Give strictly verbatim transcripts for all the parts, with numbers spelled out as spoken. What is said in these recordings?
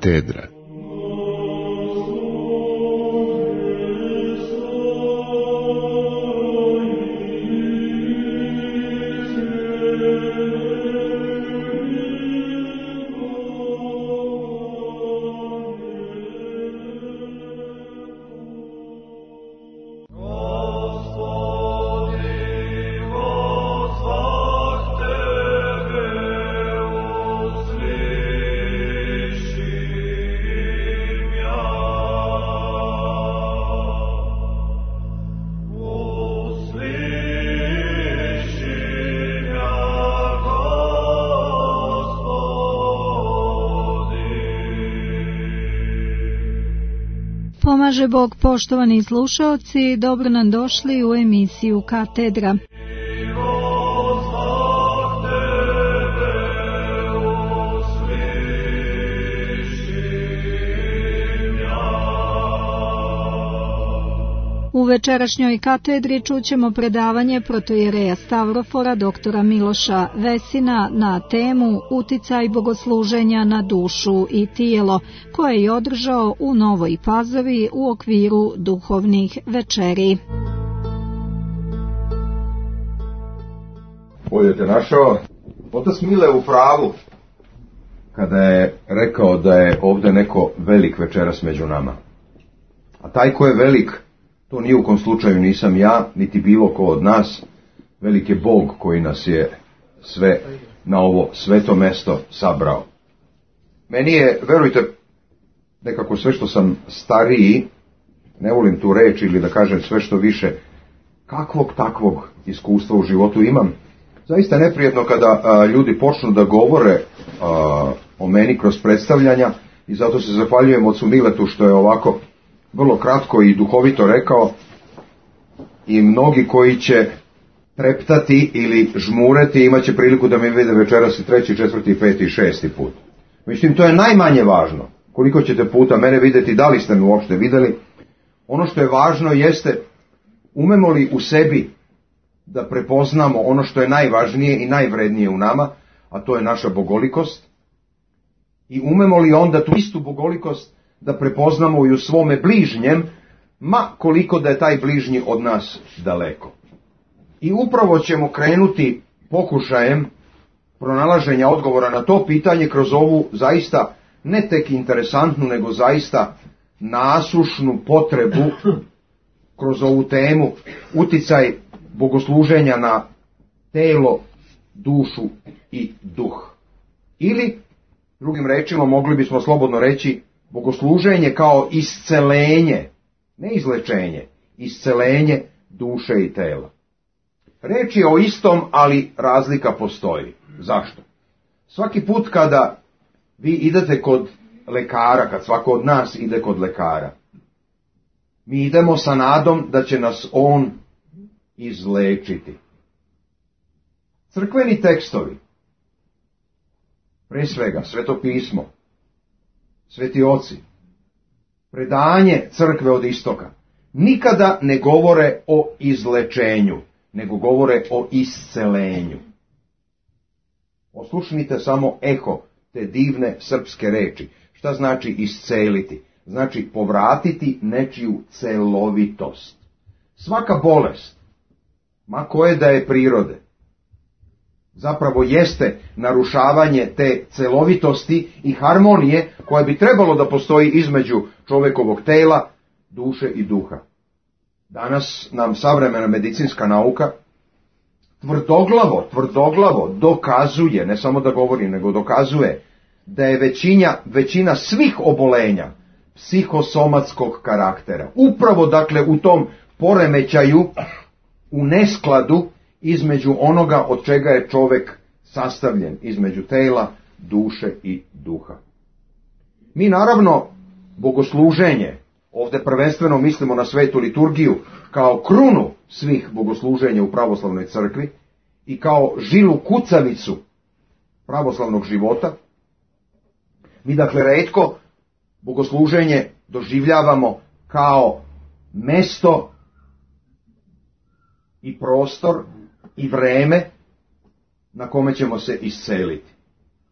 Katedra. Pomaže Bog, poštovani slušaoci, dobro nam došli u emisiju Katedra. U večerašnjoj katedri čućemo predavanje protoijereja Stavrofora doktora Miloša Vesina na temu Uticaj bogosluženja na dušu i tijelo, koje je održao u Novoj Pazovi u okviru duhovnih večeri. Bolje te našao. Otac Mile u pravu kada je rekao da je ovdje neko velik večeras među nama. A taj ko je velik, to ni u kom slučaju nisam ja, niti bilo ko od nas. Velik je Bog koji nas je sve na ovo sveto mesto sabrao. Meni je, verujte, nekako sve što sam stariji, ne volim tu reč ili da kažem sve što više, kakvog takvog iskustva u životu imam. Zaista neprijatno kada a, ljudi počnu da govore a, o meni kroz predstavljanja i zato se zahvaljujem ocu Miletu što je ovako vrlo kratko i duhovito rekao, i mnogi koji će treptati ili žmureti imat će priliku da me vide večeras i treći, četvrti, peti i šesti put. Mislim, to je najmanje važno. Koliko ćete puta mene vidjeti, da li ste me uopšte vidjeli. Ono što je važno jeste, umemo li u sebi da prepoznamo ono što je najvažnije i najvrednije u nama, a to je naša bogolikost, i umemo li onda tu istu bogolikost da prepoznamo i u svome bližnjem, ma koliko da je taj bližnji od nas daleko. I upravo ćemo krenuti pokušajem pronalaženja odgovora na to pitanje kroz ovu zaista ne tek interesantnu, nego zaista nasušnu potrebu kroz ovu temu uticaj bogosluženja na telo, dušu i duh. Ili, drugim rečima, mogli bismo slobodno reći, bogosluženje kao iscelenje, ne izlečenje, iscelenje duše i tela. Reč je o istom, ali razlika postoji. Zašto? Svaki put kada vi idete kod lekara, kad svako od nas ide kod lekara, mi idemo sa nadom da će nas on izlečiti. Crkveni tekstovi, pre svega Sveto pismo, sveti oci, predanje crkve od istoka, nikada ne govore o izlečenju, nego govore o iscelenju. Oslušnite samo eho te divne srpske reči. Šta znači isceliti? Znači povratiti nečiju celovitost. Svaka bolest, ma koje da je prirode, zapravo jeste narušavanje te celovitosti i harmonije koja bi trebalo da postoji između čovekovog tela, duše i duha. Danas nam savremena medicinska nauka tvrdoglavo, tvrdoglavo dokazuje, ne samo da govori, nego dokazuje da je većina, većina svih obolenja psihosomatskog karaktera. Upravo dakle u tom poremećaju, u neskladu između onoga od čega je čovjek sastavljen, između tela, duše i duha. Mi naravno bogosluženje, ovdje prvenstveno mislimo na svetu liturgiju, kao krunu svih bogosluženja u pravoslavnoj crkvi i kao žilu kucavicu pravoslavnog života, mi dakle retko bogosluženje doživljavamo kao mesto i prostor i vreme na kome ćemo se isceliti.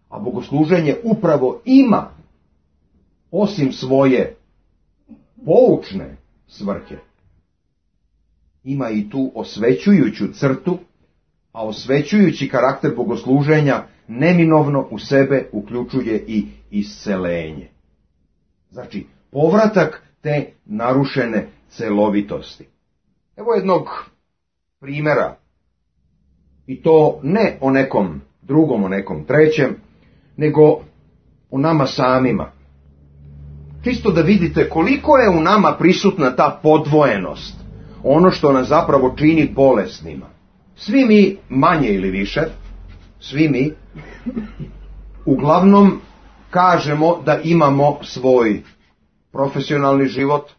A bogosluženje upravo ima osim svoje poučne svrhe, ima i tu osvećujuću crtu, a osvećujući karakter bogosluženja neminovno u sebe uključuje i iscelenje. Znači, povratak te narušene celovitosti. Evo jednog primjera, i to ne o nekom drugom, o nekom trećem, nego o nama samima. Čisto da vidite koliko je u nama prisutna ta podvojenost, ono što nas zapravo čini bolesnima. Svi mi, manje ili više, svi mi, uglavnom kažemo da imamo svoj profesionalni život,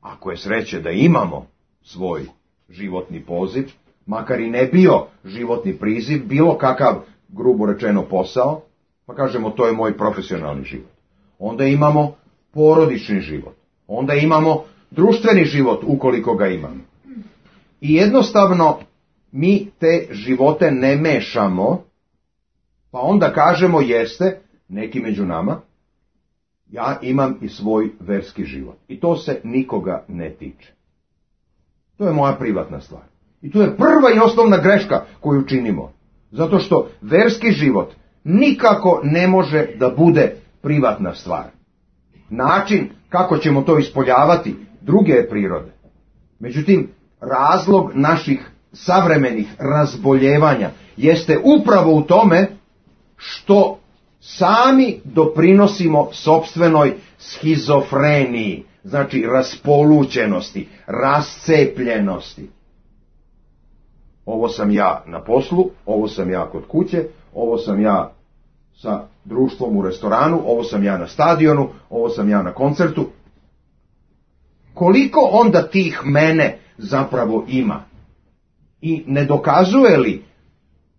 ako je sreće da imamo svoj životni poziv, makar i ne bio životni priziv, bilo kakav, grubo rečeno, posao, pa kažemo to je moj profesionalni život. Onda imamo porodični život, onda imamo društveni život ukoliko ga imamo. I jednostavno mi te živote ne mešamo, pa onda kažemo jeste, neki među nama, ja imam i svoj verski život. I to se nikoga ne tiče. To je moja privatna stvar. I to je prva i osnovna greška koju činimo. Zato što verski život nikako ne može da bude privatna stvar. Način kako ćemo to ispoljavati druge je prirode. Međutim, razlog naših savremenih razboljevanja jeste upravo u tome što sami doprinosimo sopstvenoj schizofreniji, znači raspolućenosti, rascepljenosti. Ovo sam ja na poslu, ovo sam ja kod kuće, ovo sam ja sa društvom u restoranu, ovo sam ja na stadionu, ovo sam ja na koncertu. Koliko onda tih mene zapravo ima? I ne dokazuje li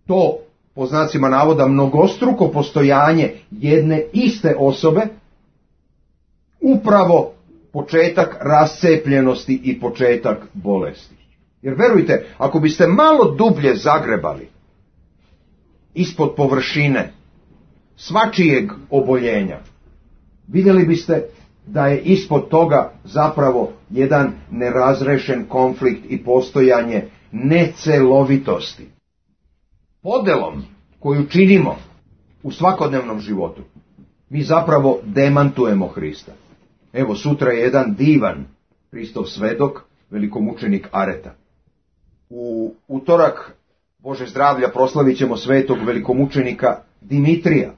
to, po znacima navoda, mnogostruko postojanje jedne iste osobe, upravo početak rascepljenosti i početak bolesti? Jer verujte, ako biste malo dublje zagrebali ispod površine svačijeg oboljenja, vidjeli biste da je ispod toga zapravo jedan nerazrešen konflikt i postojanje necelovitosti. Podelom koju činimo u svakodnevnom životu, mi zapravo demantujemo Hrista. Evo, sutra je jedan divan Hristov svedok, velikomučenik Areta. U utorak, Bože zdravlja, proslavit ćemo svetog velikomučenika Dimitrija.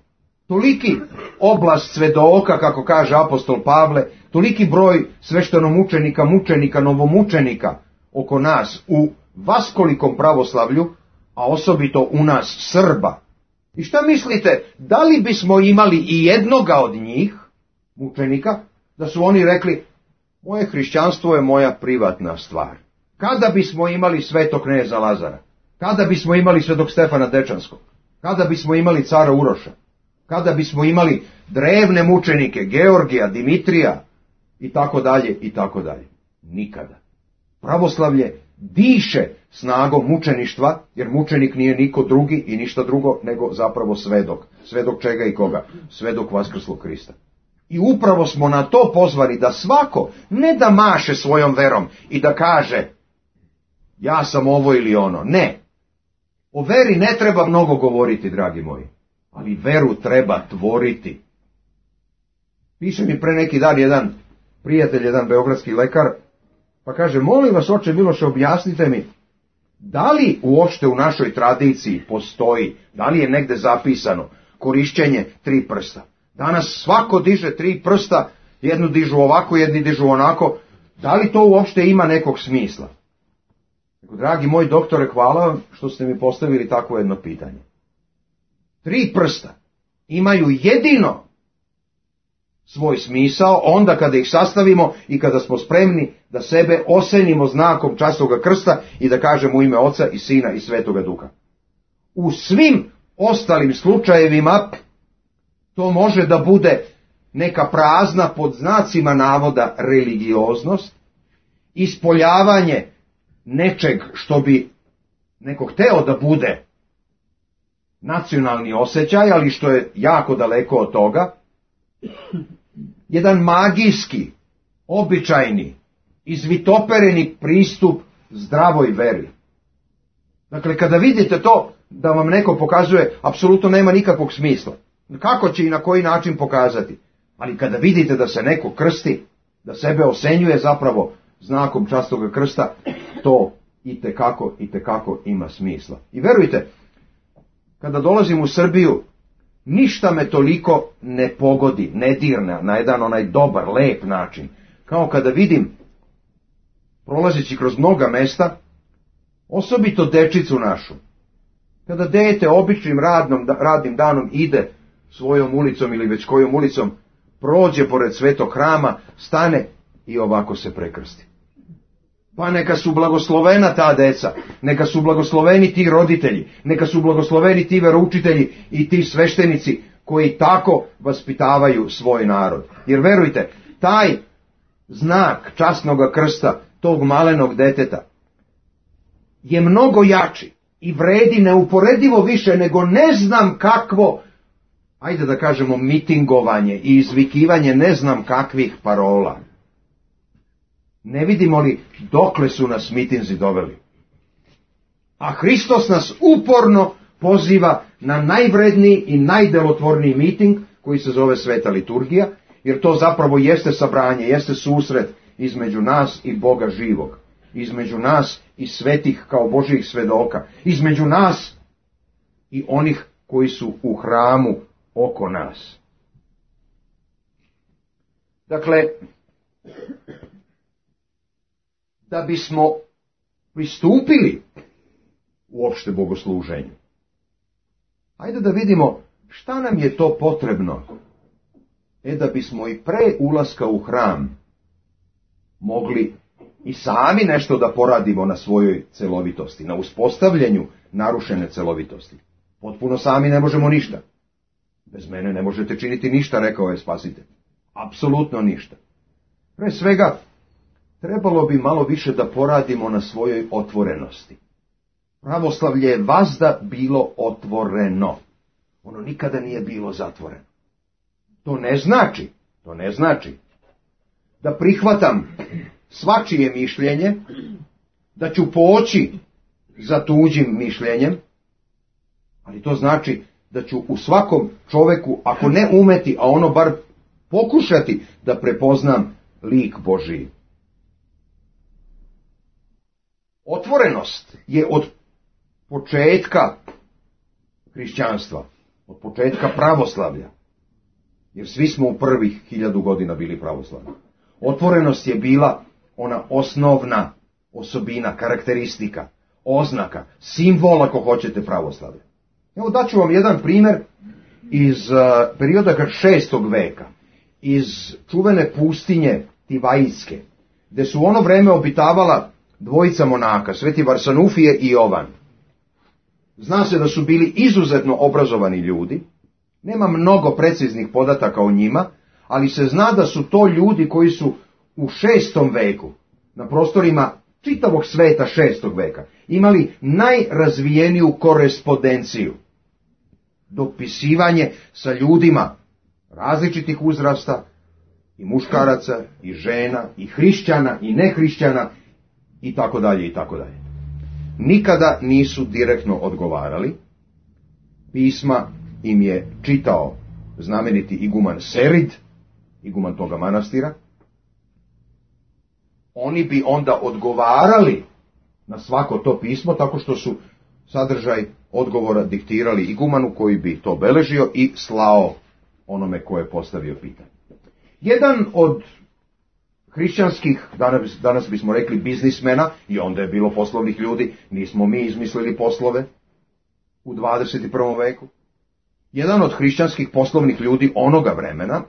Toliki oblast svedoka, kako kaže apostol Pavle, toliki broj sveštenomučenika, mučenika, novomučenika oko nas u vaskolikom pravoslavlju, a osobito u nas Srba. I šta mislite, da li bismo imali i jednoga od njih, mučenika, da su oni rekli, moje hrišćanstvo je moja privatna stvar? Kada bismo imali svetog kneza Lazara? Kada bismo imali svetog Stefana Dečanskog? Kada bismo imali cara Uroša? Kada bismo imali drevne mučenike, Georgija, Dimitrija, i tako dalje, i tako dalje? Nikada. Pravoslavlje diše snagom mučeništva, jer mučenik nije niko drugi i ništa drugo nego zapravo svedok. Svedok čega i koga? Svedok vaskrslog Hrista. I upravo smo na to pozvani da svako ne da maše svojom verom i da kaže ja sam ovo ili ono. Ne. O veri ne treba mnogo govoriti, dragi moji, ali veru treba tvoriti. Piše mi pre neki dan jedan prijatelj, jedan beogradski lekar, pa kaže, molim vas, oče Miloše, objasnite mi, da li uopšte u našoj tradiciji postoji, da li je negde zapisano korišćenje tri prsta? Danas svako diže tri prsta, jednu dižu ovako, jedni dižu onako, da li to uopšte ima nekog smisla? Dragi moj doktore, hvala vam što ste mi postavili takvo jedno pitanje. Tri prsta imaju jedino svoj smisao onda kada ih sastavimo i kada smo spremni da sebe osenimo znakom časnoga krsta i da kažemo u ime Oca i Sina i Svetoga Duha. U svim ostalim slučajevima to može da bude neka prazna, pod znacima navoda, religioznost, ispoljavanje nečeg što bi neko hteo da bude nacionalni osjećaj, ali što je jako daleko od toga. jedan magijski, običajni, izvitopereni pristup zdravoj veri. Dakle, kada vidite to da vam neko pokazuje, apsolutno nema nikakvog smisla. Kako će i na koji način pokazati? Ali kada vidite da se neko krsti, da sebe osenjuje zapravo znakom časnog krsta, to itekako, itekako ima smisla. I verujte, kada dolazim u Srbiju, ništa me toliko ne pogodi, ne dirne na jedan onaj dobar, lep način, kao kada vidim, prolazeći kroz mnoga mesta, osobito dečicu našu, kada dete običnim radnom, radnim danom ide svojom ulicom ili već kojom ulicom, prođe pored svetog hrama, stane i ovako se prekrsti. Pa neka su blagoslovena ta deca, neka su blagosloveni ti roditelji, neka su blagosloveni ti veroučitelji i ti sveštenici koji tako vaspitavaju svoj narod. Jer verujte, taj znak časnog krsta, tog malenog deteta, je mnogo jači i vredi neuporedivo više nego ne znam kakvo, ajde da kažemo, mitingovanje i izvikivanje ne znam kakvih parola. Ne vidimo li dokle su nas mitinzi doveli? A Hristos nas uporno poziva na najvredniji i najdelotvorniji miting koji se zove Sveta liturgija, jer to zapravo jeste sabranje, jeste susret između nas i Boga živog, između nas i svetih kao Božjih svedoka, između nas i onih koji su u hramu oko nas. Dakle, da bismo pristupili uopšte bogosluženju, ajde da vidimo šta nam je to potrebno, e da bismo i pre ulaska u hram mogli i sami nešto da poradimo na svojoj celovitosti, na uspostavljanju narušene celovitosti. Potpuno sami ne možemo ništa. Bez mene ne možete činiti ništa, rekao je Spasitelj. Apsolutno ništa. Pre svega, trebalo bi malo više da poradimo na svojoj otvorenosti. Pravoslavlje je vazda bilo otvoreno. Ono nikada nije bilo zatvoreno. To ne znači, to ne znači da prihvatam svačije mišljenje, da ću poći za tuđim mišljenjem, ali to znači da ću u svakom čoveku, ako ne umeti, a ono bar pokušati da prepoznam lik Božiji. Otvorenost je od početka hrišćanstva, od početka pravoslavlja, jer svi smo u prvih hiljadu godina bili pravoslavni. Otvorenost je bila ona osnovna osobina, karakteristika, oznaka, simbol, ako hoćete, pravoslavlja. Evo daću vam jedan primjer iz uh, perioda šestog veka, iz čuvene pustinje Tivajske, gde su u ono vreme obitavala dvojica monaka, Sveti Varsanufije i Jovan. Zna se da su bili izuzetno obrazovani ljudi, nema mnogo preciznih podataka o njima, ali se zna da su to ljudi koji su u šestom veku, na prostorima čitavog sveta šestog veka, imali najrazvijeniju korespondenciju, dopisivanje sa ljudima različitih uzrasta, i muškaraca, i žena, i hrišćana, i nehrišćana, i tako dalje, i tako dalje. Nikada nisu direktno odgovarali, pisma im je čitao znameniti iguman Serid, iguman toga manastira. Oni bi onda odgovarali na svako to pismo, tako što su sadržaj odgovora diktirali igumanu koji bi to beležio i slao onome ko je postavio pitanje. Jedan od hrišćanskih, danas, danas bismo rekli biznismena, i onda je bilo poslovnih ljudi, nismo mi izmislili poslove u dvadeset prvom veku. Jedan od hrišćanskih poslovnih ljudi onoga vremena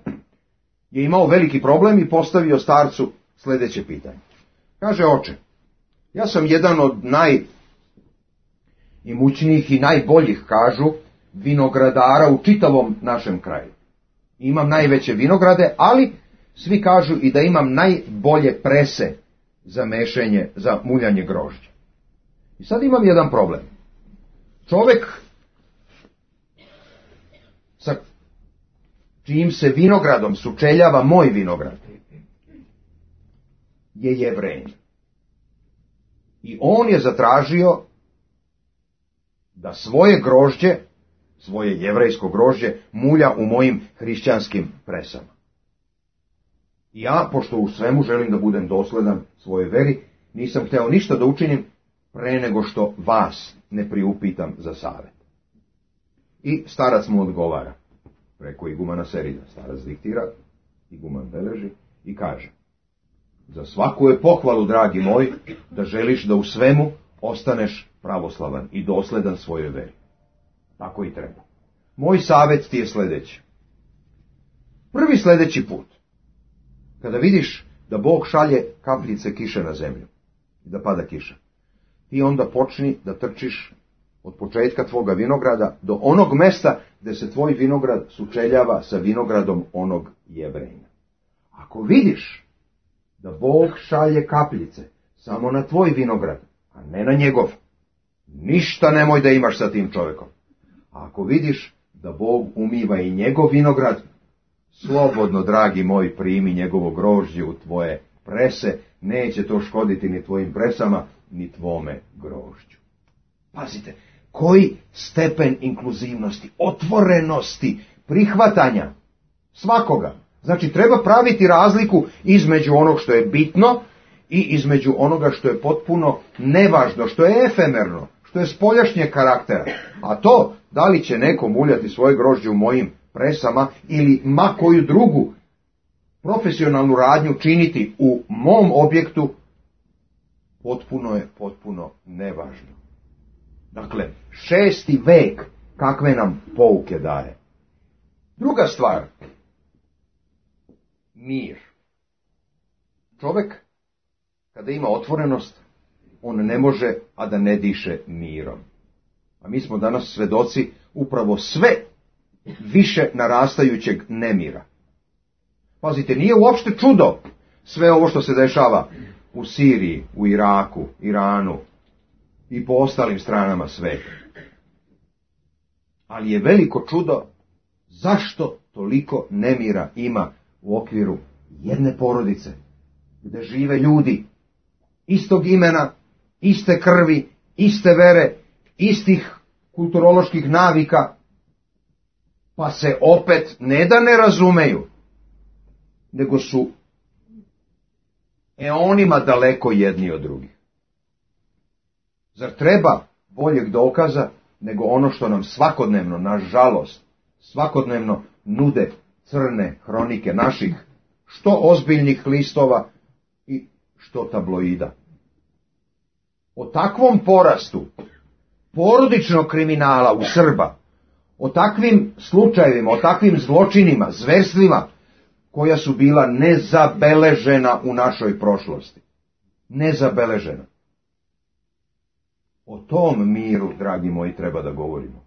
je imao veliki problem i postavio starcu sljedeće pitanje. Kaže: oče, ja sam jedan od najimućnijih i najboljih, kažu, vinogradara u čitavom našem kraju. Imam najveće vinograde, ali svi kažu i da imam najbolje prese za mešenje, za muljanje grožđa. I sad imam jedan problem. Čovek sa čijim se vinogradom sučeljava moj vinograd, je Jevrejin. I on je zatražio da svoje grožđe, svoje jevrejsko grožđe, mulja u mojim hrišćanskim presama. I ja, pošto u svemu želim da budem dosledan svojoj veri, nisam hteo ništa da učinim pre nego što vas ne priupitam za savjet. I starac mu odgovara, preko igumana Serida. Starac diktira, iguman beleži i kaže: za svaku je pohvalu, dragi moj, da želiš da u svemu ostaneš pravoslavan i dosledan svojoj veri. Tako i treba. Moj savjet ti je sljedeći. Prvi sljedeći put, kada vidiš da Bog šalje kapljice kiše na zemlju i da pada kiša, ti onda počni da trčiš od početka tvoga vinograda do onog mesta gdje se tvoj vinograd sučeljava sa vinogradom onog Jevrejina. Ako vidiš da Bog šalje kapljice samo na tvoj vinograd, a ne na njegov, ništa nemoj da imaš sa tim čovjekom. A ako vidiš da Bog umiva i njegov vinograd, slobodno, dragi moj, primi njegovo grožđe u tvoje prese, neće to škoditi ni tvojim presama, ni tvome grožđu. Pazite, koji stepen inkluzivnosti, otvorenosti, prihvatanja svakoga. Znači, treba praviti razliku između onog što je bitno i između onoga što je potpuno nevažno, što je efemerno, što je spoljašnjeg karaktera. A to, da li će neko muljati svoje grožđe u mojim presama ili ma koju drugu profesionalnu radnju činiti u mom objektu, potpuno je, potpuno nevažno. Dakle, šesti vek kakve nam pouke daje. Druga stvar, mir. Čovjek, kada ima otvorenost, on ne može, a da ne diše mirom. A mi smo danas svedoci upravo sve više narastajućeg nemira. Pazite, nije uopšte čudo sve ovo što se dešava u Siriji, u Iraku, Iranu i po ostalim stranama sveta. Ali je veliko čudo zašto toliko nemira ima u okviru jedne porodice, gdje žive ljudi istog imena, iste krvi, iste vere, istih kulturoloških navika, pa se opet ne da ne razumeju, nego su eonima daleko jedni od drugih. Zar treba boljeg dokaza nego ono što nam svakodnevno, nažalost, svakodnevno nude crne hronike naših, što ozbiljnih listova i što tabloida. O takvom porastu porodičnog kriminala u Srba, o takvim slučajevima, o takvim zločinima, zverstvima, koja su bila nezabeležena u našoj prošlosti. Nezabeležena. O tom miru, dragi moji, treba da govorimo.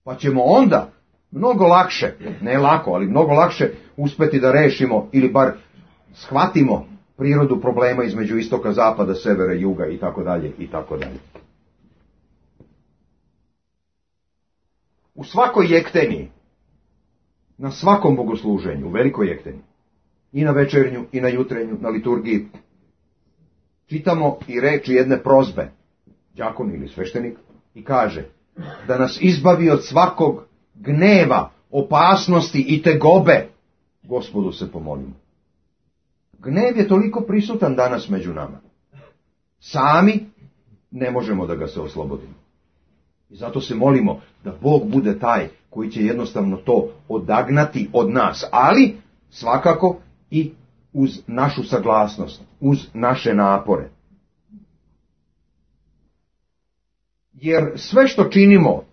Pa ćemo onda mnogo lakše, ne lako, ali mnogo lakše uspeti da rešimo ili bar shvatimo prirodu problema između istoka, zapada, severa, juga i tako dalje i tako dalje. U svakoj jekteniji, na svakom bogosluženju, u velikoj jekteni, i na večernju, i na jutrenju, na liturgiji, čitamo i reči jedne prozbe, đakon ili sveštenik, i kaže da nas izbavi od svakog gneva, opasnosti i tegobe, Gospodu se pomolimo. Gnev je toliko prisutan danas među nama. Sami ne možemo da ga se oslobodimo. I zato se molimo da Bog bude taj koji će jednostavno to odagnati od nas, ali svakako i uz našu saglasnost, uz naše napore. Jer sve što činimo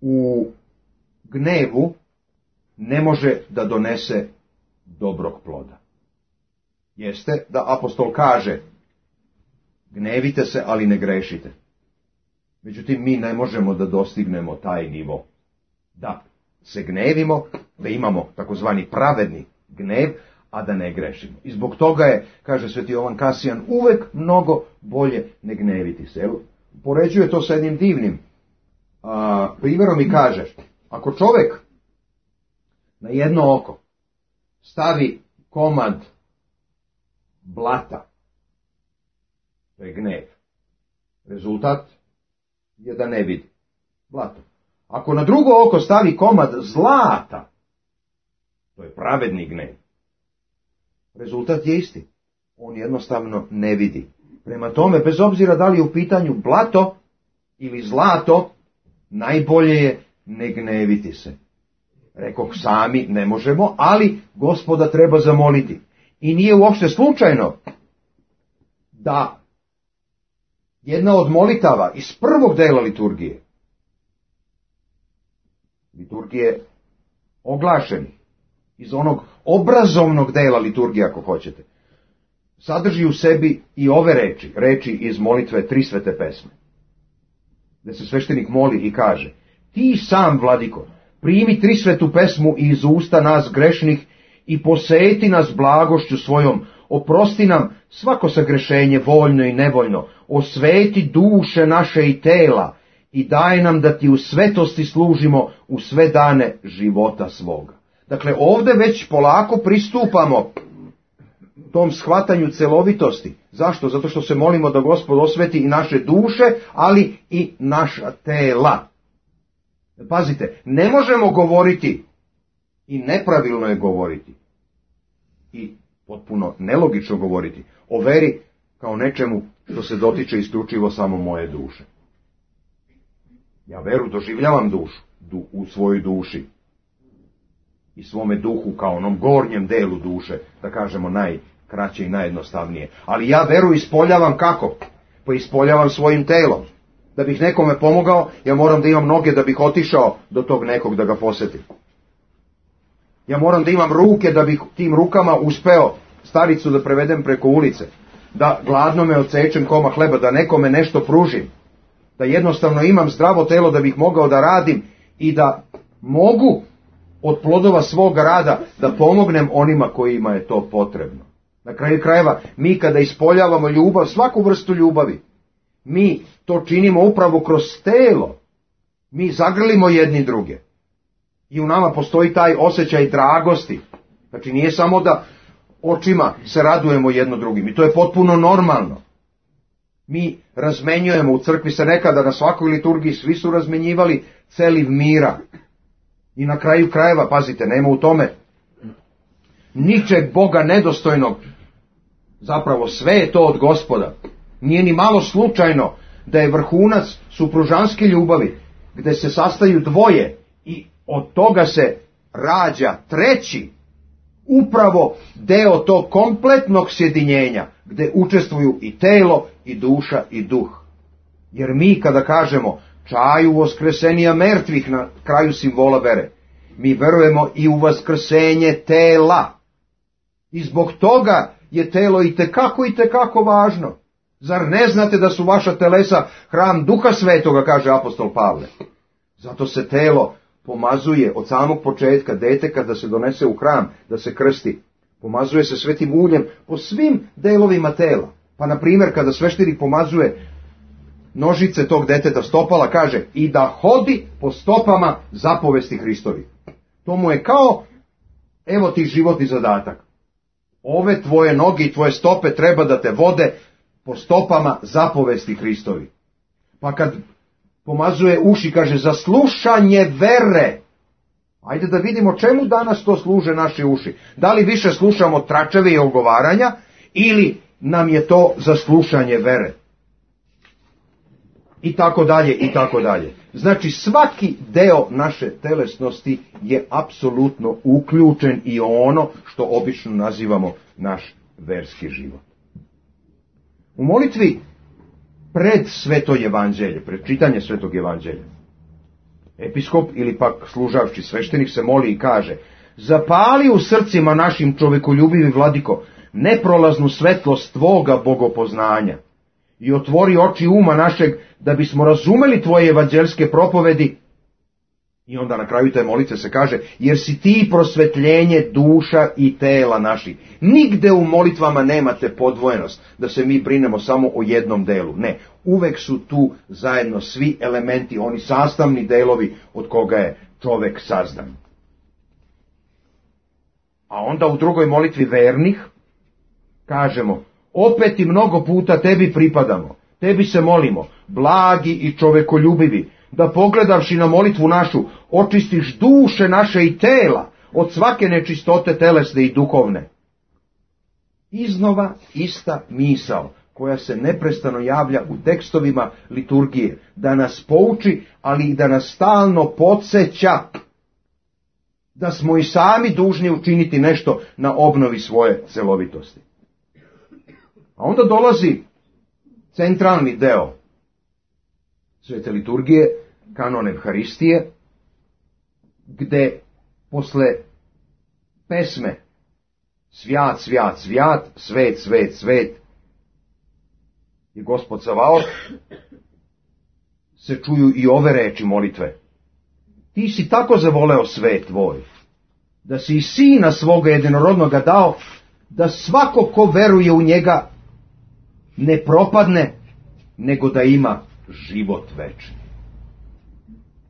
u gnevu ne može da donese dobrog ploda. Jeste da apostol kaže, gnevite se, ali ne grešite. Međutim, mi ne možemo da dostignemo taj nivo. Da se gnevimo, da imamo takozvani pravedni gnev, a da ne grešimo. I zbog toga je, kaže sveti Jovan Kasijan, uvek mnogo bolje ne gneviti se. Poređuje to sa jednim divnim a, primjerom i kaže, ako čovjek na jedno oko stavi komad blata, to je gnev, rezultat je da ne vidi blato. Ako na drugo oko stavi komad zlata, to je pravedni gnev, rezultat je isti. On jednostavno ne vidi. Prema tome, bez obzira da li je u pitanju blato ili zlato, najbolje je ne gneviti se. Rekoh, sami ne možemo, ali Gospoda treba zamoliti. I nije uopšte slučajno da jedna od molitava iz prvog dela liturgije, liturgije oglašeni, iz onog obrazovnog dela liturgije, ako hoćete, sadrži u sebi i ove reči, reči iz molitve Tri svete pesme, gde se sveštenik moli i kaže: ti sam, vladiko, primi tri svetu pesmu iz usta nas grešnih i poseti nas blagošću svojom, oprosti nam svako sagrešenje voljno i nevoljno, osveti duše naše i tela i daj nam da ti u svetosti služimo u sve dane života svoga. Dakle, ovde već polako pristupamo tom shvatanju celovitosti. Zašto? Zato što se molimo da Gospod osveti i naše duše, ali i naša tela. Pazite, ne možemo govoriti i nepravilno je govoriti i potpuno nelogično govoriti o veri kao nečemu što se dotiče isključivo samo moje duše. Ja veru doživljavam dušu, du, u svojoj duši i svome duhu kao onom gornjem delu duše, da kažemo najkraće i najjednostavnije. Ali ja veru ispoljavam kako? Pa ispoljavam svojim telom. Da bih nekome pomogao, ja moram da imam noge da bih otišao do tog nekog da ga posetim. Ja moram da imam ruke da bih tim rukama uspeo staricu da prevedem preko ulice, da gladno me odsečem koma hleba, da nekome nešto pružim, da jednostavno imam zdravo telo da bih mogao da radim i da mogu od plodova svog rada da pomognem onima kojima je to potrebno. Na kraju krajeva, mi kada ispoljavamo ljubav, svaku vrstu ljubavi, mi to činimo upravo kroz telo. Mi zagrlimo jedni druge. I u nama postoji taj osjećaj dragosti. Znači nije samo da očima se radujemo jedno drugim. I to je potpuno normalno. Mi razmenjujemo, u crkvi se nekada na svakoj liturgiji svi su razmenjivali celiv mira. I na kraju krajeva, pazite, nema u tome ničeg Boga nedostojnog. Zapravo sve je to od Gospoda. Nije ni malo slučajno da je vrhunac supružanske ljubavi, gde se sastaju dvoje i od toga se rađa treći, upravo deo tog kompletnog sjedinjenja, gde učestvuju i telo, i duša, i duh. Jer mi kada kažemo čaju voskresenija mrtvih na kraju simbola vere, mi verujemo i u vaskrsenje tela. I zbog toga je telo i tekako i tekako važno. Zar ne znate da su vaša telesa hram Duha Svetoga, kaže apostol Pavle? Zato se telo pomazuje od samog početka, dete kada se donese u hram da se krsti, pomazuje se svetim uljem po svim delovima tela. Pa na primjer kada sveštenik pomazuje nožice tog deteta, stopala, kaže i da hodi po stopama zapovesti Hristovi. To mu je kao, evo ti životni zadatak. Ove tvoje noge i tvoje stope treba da te vode po stopama zapovesti Hristovi. Pa kad pomazuje uši, kaže za slušanje vere. Ajde da vidimo čemu danas to služe naše uši. Da li više slušamo tračeve i ogovaranja ili nam je to za slušanje vere. I tako dalje, i tako dalje. Znači svaki deo naše telesnosti je apsolutno uključen i ono što obično nazivamo naš verski život. U molitvi pred sveto evanđelje, pred čitanje svetog evanđelja, episkop ili pak služavči sveštenik se moli i kaže: zapali u srcima našim čovekoljubivi vladiko neprolaznu svetlost tvoga bogopoznanja i otvori oči uma našeg da bismo razumeli tvoje evanđelske propovedi. I onda na kraju te molitve se kaže: jer si ti prosvetljenje duša i tela naši. Nigde u molitvama nemate podvojenost, da se mi brinemo samo o jednom delu. Ne, uvek su tu zajedno svi elementi, oni sastavni delovi od koga je čovek sazdan. A onda u drugoj molitvi vernih kažemo, opet i mnogo puta tebi pripadamo, tebi se molimo, blagi i čovekoljubivi, da pogledavši na molitvu našu, očistiš duše naše i tela od svake nečistote telesne i duhovne. Iznova ista misao koja se neprestano javlja u tekstovima liturgije, da nas pouči, ali i da nas stalno podsjeća da smo i sami dužni učiniti nešto na obnovi svoje celovitosti. A onda dolazi centralni deo svete liturgije, kanon Evharistije, gde posle pesme Svjat, svjat, svjat, svet, svet, svet je Gospod Savaot, se čuju i ove reči molitve. Ti si tako zavoleo svet tvoj, da si i sina svoga jedinorodnoga dao, da svako ko veruje u njega ne propadne, nego da ima život večni.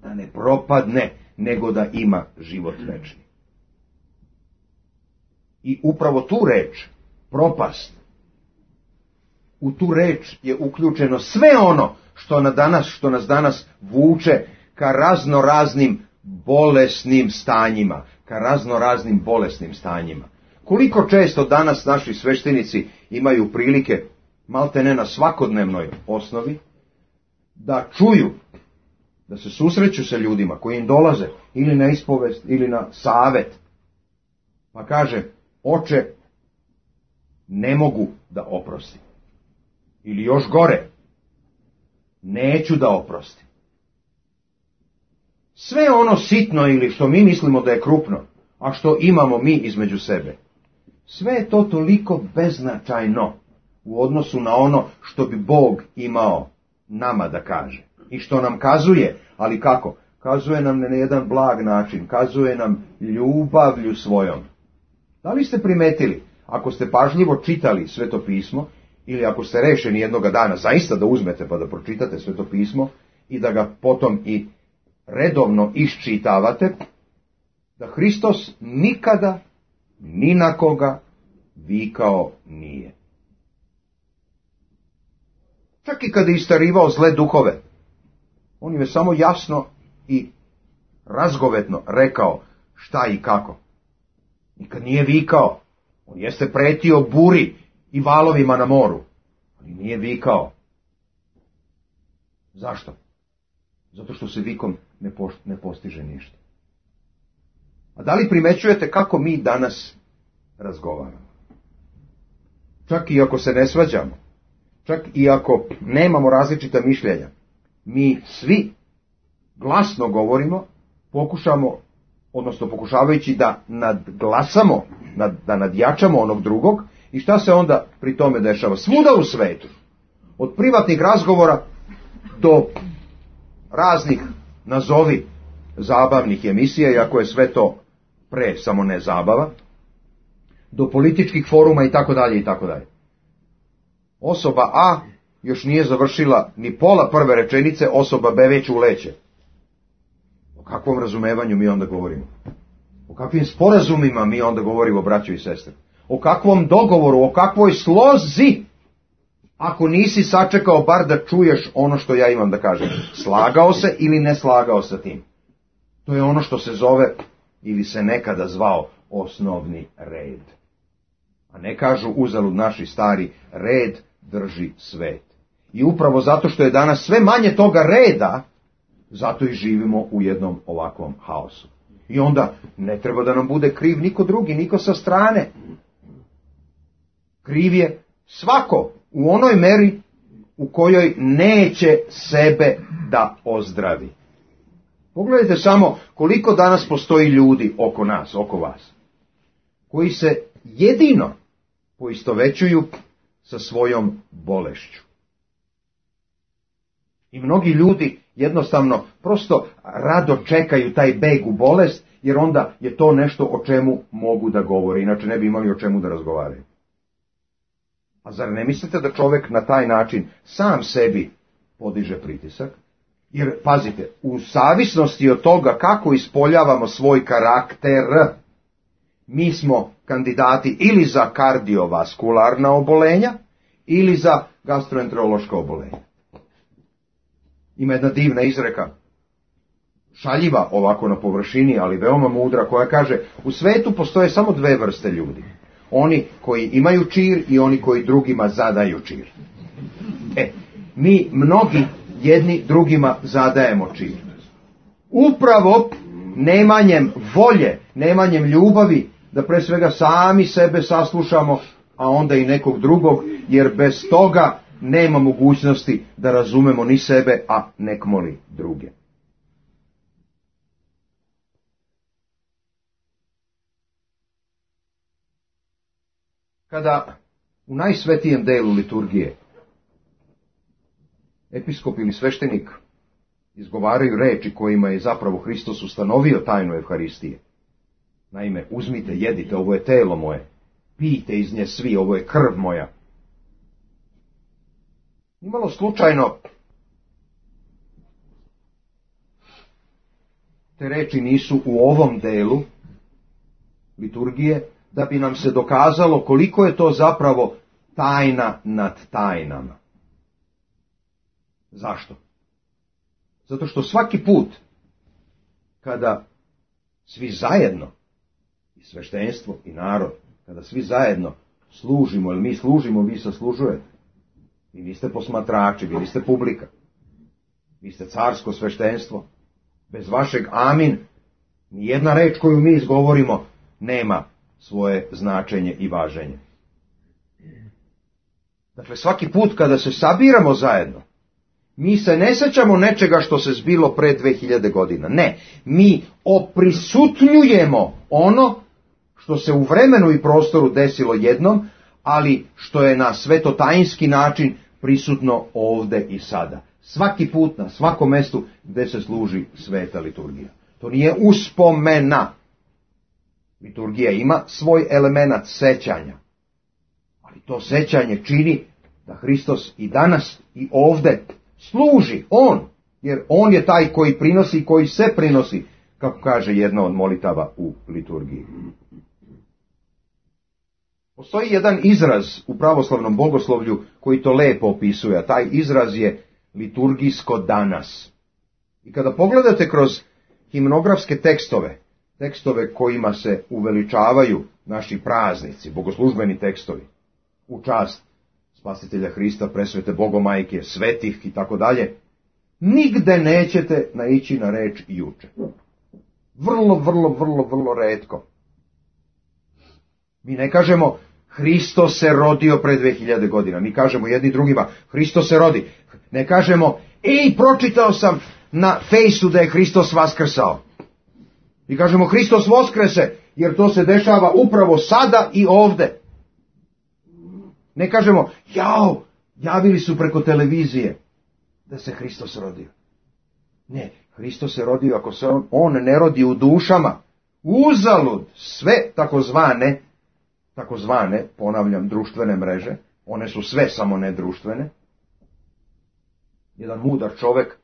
Da ne propadne, nego da ima život večni. I upravo tu reč, propast, u tu reč je uključeno sve ono što, na danas, što nas danas vuče ka razno raznim bolesnim stanjima, ka razno raznim bolesnim stanjima. Koliko često danas naši sveštenici imaju prilike, malte ne na svakodnevnoj osnovi, da čuju, da se susreću sa ljudima koji im dolaze ili na ispovest ili na savet, pa kaže, oče, ne mogu da oprostim. Ili još gore, neću da oprostim. Sve ono sitno ili što mi mislimo da je krupno, a što imamo mi između sebe, sve je to toliko beznačajno u odnosu na ono što bi Bog imao nama da kaže. I što nam kazuje, ali kako? Kazuje nam na jedan blag način, kazuje nam ljubavlju svojom. Da li ste primetili, ako ste pažljivo čitali Sveto pismo, ili ako ste rešeni jednoga dana zaista da uzmete pa da pročitate Sveto pismo i da ga potom i redovno iščitavate, da Hristos nikada ni na koga vikao nije. Čak i kada je istarivao zle duhove, on im je samo jasno i razgovetno rekao šta i kako. Nikad nije vikao. On jeste pretio buri i valovima na moru, ali nije vikao. Zašto? Zato što se vikom ne, poš- ne postiže ništa. A da li primećujete kako mi danas razgovaramo? Čak i ako se ne svađamo, čak i ako nemamo različita mišljenja, mi svi glasno govorimo, pokušamo, odnosno pokušavajući da nadglasamo, da nadjačamo onog drugog, i šta se onda pri tome dešava? Svuda u svetu, od privatnih razgovora do raznih, nazovi, zabavnih emisija, iako je sve to pre samo ne zabava, do političkih foruma i tako dalje i tako dalje. Osoba A još nije završila ni pola prve rečenice, osoba B već uleće. O kakvom razumevanju mi onda govorimo? O kakvim sporazumima mi onda govorimo, braćo i sestre? O kakvom dogovoru, o kakvoj slozi, ako nisi sačekao bar da čuješ ono što ja imam da kažem? Slagao se ili ne slagao sa tim? To je ono što se zove, ili se nekada zvao, osnovni red. A ne kažu uzalud naši stari, red drži svet. I upravo zato što je danas sve manje toga reda, zato i živimo u jednom ovakvom haosu. I onda ne treba da nam bude kriv niko drugi, niko sa strane. Kriv je svako u onoj meri u kojoj neće sebe da ozdravi. Pogledajte samo koliko danas postoji ljudi oko nas, oko vas, koji se jedino poistovećuju sa svojom bolešću. I mnogi ljudi jednostavno prosto rado čekaju taj beg u bolest, jer onda je to nešto o čemu mogu da govore, inače ne bi imali o čemu da razgovaraju. A zar ne mislite da čovjek na taj način sam sebi podiže pritisak? Jer, pazite, u zavisnosti od toga kako ispoljavamo svoj karakter, mi smo kandidati ili za kardiovaskularna obolenja, ili za gastroenterološka obolenja. Ima jedna divna izreka, šaljiva ovako na površini, ali veoma mudra, koja kaže, u svetu postoje samo dve vrste ljudi. Oni koji imaju čir i oni koji drugima zadaju čir. E, mi mnogi jedni drugima zadajemo čir. Upravo nemanjem volje, nemanjem ljubavi, da pre svega sami sebe saslušamo, a onda i nekog drugog, jer bez toga nema mogućnosti da razumemo ni sebe, a nekmoli druge. Kada u najsvetijem delu liturgije episkop ili sveštenik izgovaraju reči kojima je zapravo Hristos ustanovio tajnu Evharistije. Naime, uzmite, jedite, ovo je telo moje, pijte iz nje svi, ovo je krv moja. Nimalo slučajno te reči nisu u ovom delu liturgije, da bi nam se dokazalo koliko je to zapravo tajna nad tajnama. Zašto? Zato što svaki put kada svi zajedno, i sveštenstvo i narod, kada svi zajedno služimo, ili mi služimo, vi saslužujete. Vi niste posmatrači, vi niste publika. Vi ste carsko sveštenstvo. Bez vašeg amin, nijedna reč koju mi izgovorimo nema svoje značenje i važenje. Dakle, svaki put kada se sabiramo zajedno, mi se ne sećamo nečega što se zbilo pre dve hiljade godina. Ne, mi oprisutnjujemo ono što se u vremenu i prostoru desilo jednom, ali što je na svetotajinski način prisutno ovde i sada. Svaki put na svakom mestu gde se služi sveta liturgija. To nije uspomena. Liturgija ima svoj element sećanja. Ali to sećanje čini da Hristos i danas i ovde služi on, jer on je taj koji prinosi i koji se prinosi, kako kaže jedna od molitava u liturgiji. Postoji jedan izraz u pravoslavnom bogoslovlju koji to lepo opisuje, a taj izraz je liturgijsko danas. I kada pogledate kroz himnografske tekstove, tekstove kojima se uveličavaju naši praznici, bogoslužbeni tekstovi, u čast Spasitelja Hrista, presvete Bogomajke, svetih i tako dalje, nigde nećete naići na reč juče. Vrlo, vrlo, vrlo, vrlo retko. Mi ne kažemo Hristos se rodio pre dve hiljade godina. Mi kažemo jedni drugima Hristos se rodi. Ne kažemo, ej, pročitao sam na fejsu da je Hristos vaskrsao. Mi kažemo Hristos voskrese, jer to se dešava upravo sada i ovde. Ne kažemo, jao, javili su preko televizije da se Hristos rodio. Ne, Hristos se rodio ako se on, on ne rodi u dušama. Uzalud sve takozvane, takozvane, ponavljam, društvene mreže, one su sve samo ne društvene. Jedan mudar čovek,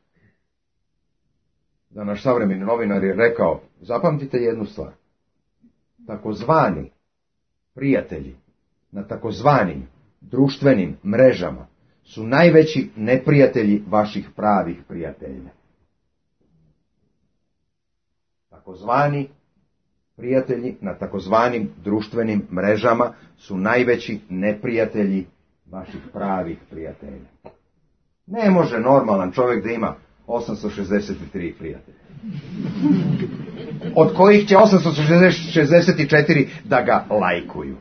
da naš savremeni novinar je rekao, zapamtite jednu stvar, takozvani prijatelji na takozvanim društvenim mrežama su najveći neprijatelji vaših pravih prijatelja. Takozvani prijatelji na takozvanim društvenim mrežama su najveći neprijatelji vaših pravih prijatelja. Ne može normalan čovjek da ima osamsto šezdeset tri prijatelja, od kojih će osamsto šezdeset četiri da ga lajkuju.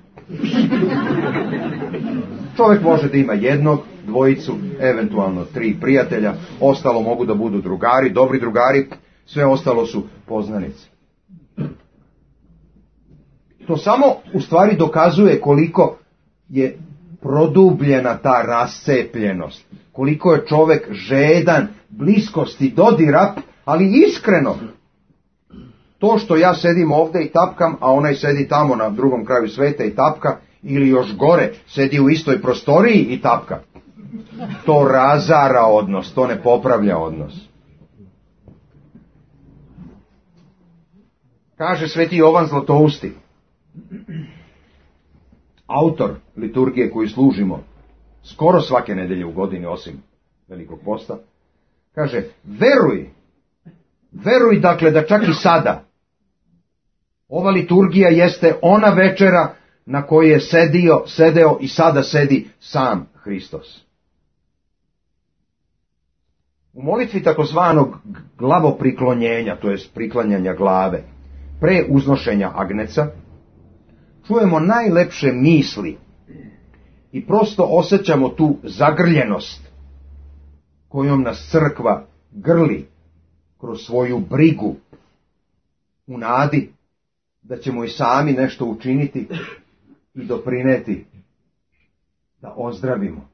Čovjek može da ima jednog, dvojicu, eventualno tri prijatelja, ostalo mogu da budu drugari, dobri drugari, sve ostalo su poznanice. To samo u stvari dokazuje koliko je produbljena ta rascepljenost, koliko je čovjek žedan bliskosti, dodira, ali iskreno. To što ja sedim ovdje i tapkam, a onaj sedi tamo na drugom kraju sveta i tapka, ili još gore, sedi u istoj prostoriji i tapka, to razara odnos, to ne popravlja odnos. Kaže sveti Jovan Zlatousti, autor liturgije koju služimo skoro svake nedelje u godini, osim Velikog posta, kaže, veruj, veruj dakle da čak i sada ova liturgija jeste ona večera na kojoj je sedio, sedeo i sada sedi sam Hristos. U molitvi takozvanog glavopriklonjenja, to jest priklanjanja glave, pre uznošenja agneca, čujemo najlepše misli i prosto osjećamo tu zagrljenost kojom nas crkva grli kroz svoju brigu u nadi da ćemo i sami nešto učiniti i doprineti da ozdravimo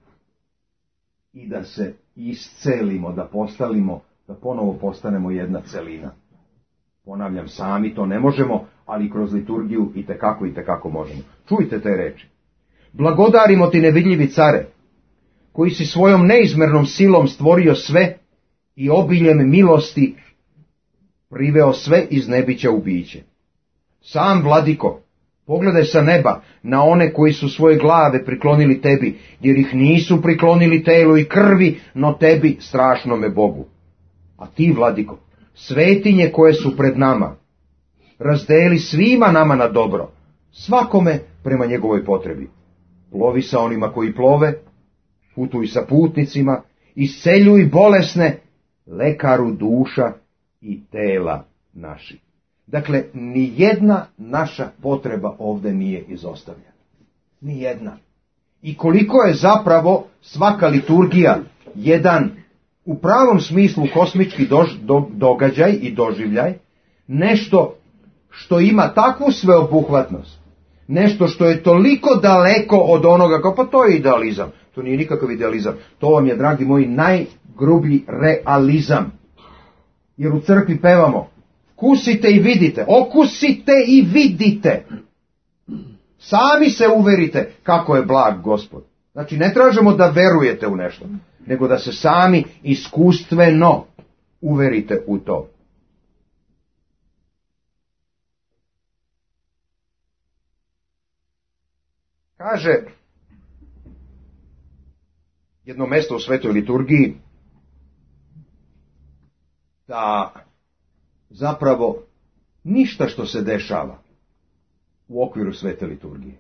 i da se iscelimo, da postalimo, da ponovo postanemo jedna celina. Ponavljam, sami to ne možemo, ali kroz liturgiju i tekako i tekako možemo. Čujte te reči. Blagodarimo ti, nevidljivi care, koji si svojom neizmernom silom stvorio sve i obiljem milosti priveo sve iz nebića u biće. Sam, vladiko, pogledaj sa neba na one koji su svoje glave priklonili tebi, jer ih nisu priklonili telu i krvi, no tebi, strašnome Bogu. A ti, vladiko, svetinje koje su pred nama, razdeli svima nama na dobro, svakome prema njegovoj potrebi. Plovi sa onima koji plove, putuj sa putnicima, isceljuj bolesne, lekaru duša i tela naši. Dakle, ni jedna naša potreba ovdje nije izostavljena. Ni jedna. I koliko je zapravo svaka liturgija jedan u pravom smislu kosmički dož, do, događaj i doživljaj, nešto što ima takvu sveobuhvatnost, nešto što je toliko daleko od onoga, kao pa to je idealizam. To nije nikakav idealizam. To vam je, dragi moji, najgrublji realizam. Jer u crkvi pevamo, kusite i vidite, okusite i vidite. Sami se uverite kako je blag Gospod. Znači, ne tražimo da verujete u nešto, nego da se sami iskustveno uverite u to. Kaže jedno mjesto u svetoj liturgiji da zapravo ništa što se dešava u okviru svete liturgije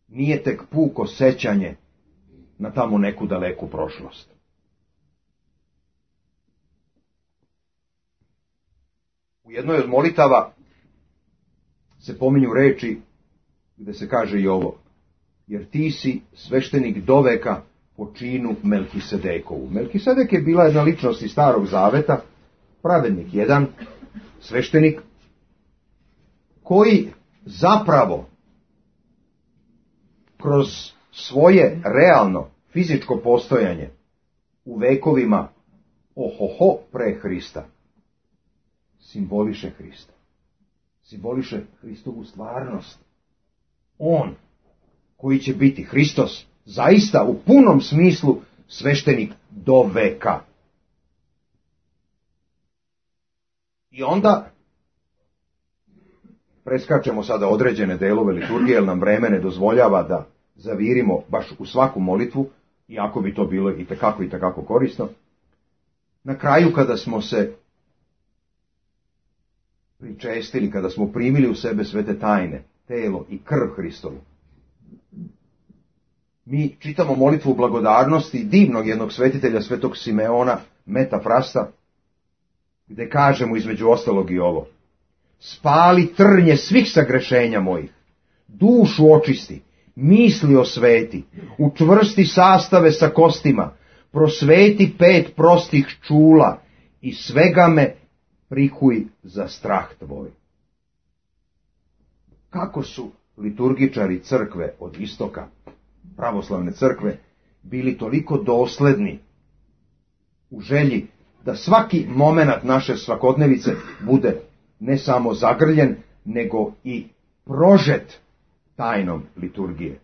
nije tek puko sećanje na tamo neku daleku prošlost. U jednoj od molitava se pominju reči gdje se kaže i ovo, jer ti si sveštenik doveka po činu Melkisedekovu. Melkisedek je bila jedna ličnost iz Starog Zaveta, pravednik jedan, sveštenik, koji zapravo kroz svoje realno fizičko postojanje u vekovima ohoho pre Hrista simboliše Hrista. Simboliše Hristovu stvarnost. On koji će biti Hristos zaista u punom smislu sveštenik do veka. I onda preskačemo sada određene delove liturgije, jer nam vreme ne dozvoljava da zavirimo baš u svaku molitvu, iako bi to bilo i tekako i tekako korisno. Na kraju, kada smo se pričestili, kada smo primili u sebe svete tajne, telo i krv Hristovu, mi čitamo molitvu blagodarnosti divnog jednog svetitelja, svetog Simeona Metafrasta, gdje kažemo između ostalog i ovo: spali trnje svih sagrešenja mojih, dušu očisti, misli osveti, učvrsti sastave sa kostima, prosveti pet prostih čula i svega me prikuj za strah tvoj. Kako su liturgičari crkve od istoka, pravoslavne crkve, bili toliko dosledni u želji da svaki momenat naše svakodnevice bude ne samo zagrljen, nego i prožet tajnom liturgije.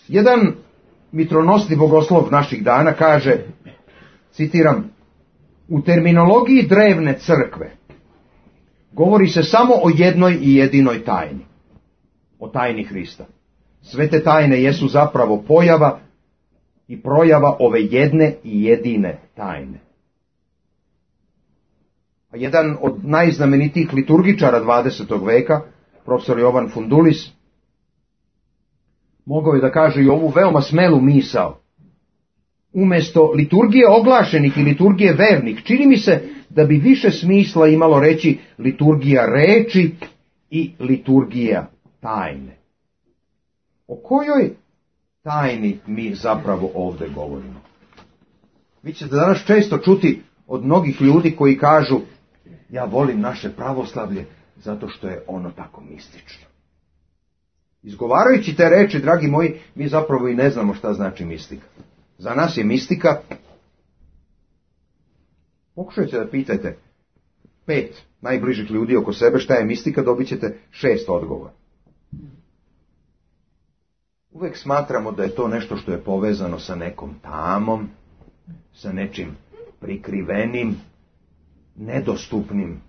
Jedan mitronosni bogoslov naših dana kaže, citiram, u terminologiji drevne crkve govori se samo o jednoj i jedinoj tajni. O tajni Hrista. Sve te tajne jesu zapravo pojava i projava ove jedne i jedine tajne. A jedan od najznamenitijih liturgičara dvadesetog veka, profesor Jovan Fundulis, mogao je da kaže i ovu veoma smelu misao. Umjesto liturgije oglašenih i liturgije vernih, čini mi se da bi više smisla imalo reći liturgija reči i liturgija tajne. O kojoj tajni mi zapravo ovdje govorimo? Vi ćete danas često čuti od mnogih ljudi koji kažu: ja volim naše pravoslavlje zato što je ono tako mistično. Izgovarajući te reči, dragi moji, mi zapravo i ne znamo šta znači mistika. Za nas je mistika, pokušajte da pitajte pet najbližih ljudi oko sebe šta je mistika, dobit ćete šest odgovora. Uvek smatramo da je to nešto što je povezano sa nekom tamom, sa nečim prikrivenim, nedostupnim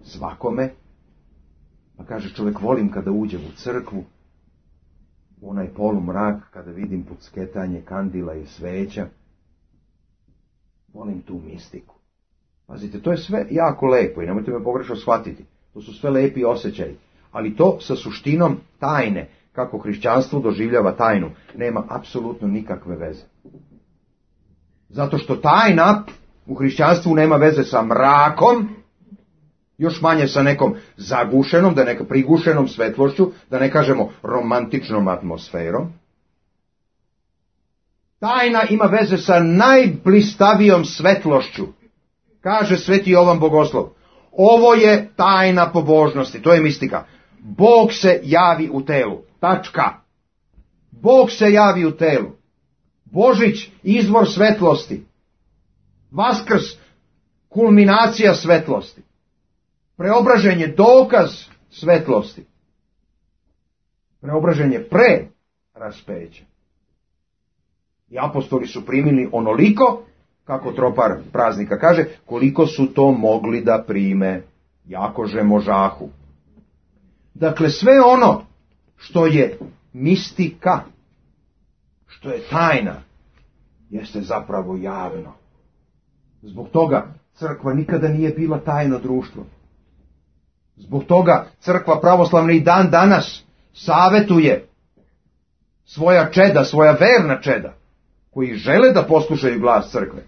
svakome. Pa kaže čovjek, volim kada uđem u crkvu, u onaj polumrak, kada vidim pucketanje kandila i sveća. Volim tu mistiku. Pazite, to je sve jako lepo i nemojte me pogrešno shvatiti. To su sve lepi osjećaji. Ali to sa suštinom tajne, kako hrišćanstvo doživljava tajnu, nema apsolutno nikakve veze. Zato što tajna u hrišćanstvu nema veze sa mrakom, još manje sa nekom zagušenom, da neka prigušenom svetlošću, da ne kažemo romantičnom atmosferom. Tajna ima veze sa najblistavijom svetlošću. Kaže sveti Jovan Bogoslov, ovo je tajna pobožnosti, to je mistika. Bog se javi u telu. Tačka. Bog se javi u telu. Božić, izvor svetlosti. Vaskrs, kulminacija svetlosti. Preobraženje, dokaz svetlosti. Preobraženje pre raspeća. I apostoli su primili onoliko, kako tropar praznika kaže, koliko su to mogli da prime, jakože možahu. Dakle, sve ono što je mistika, što je tajna, jeste zapravo javno. Zbog toga crkva nikada nije bila tajno društvo. Zbog toga crkva pravoslavna i dan danas savetuje svoja čeda, svoja verna čeda, koji žele da poslušaju glas crkve.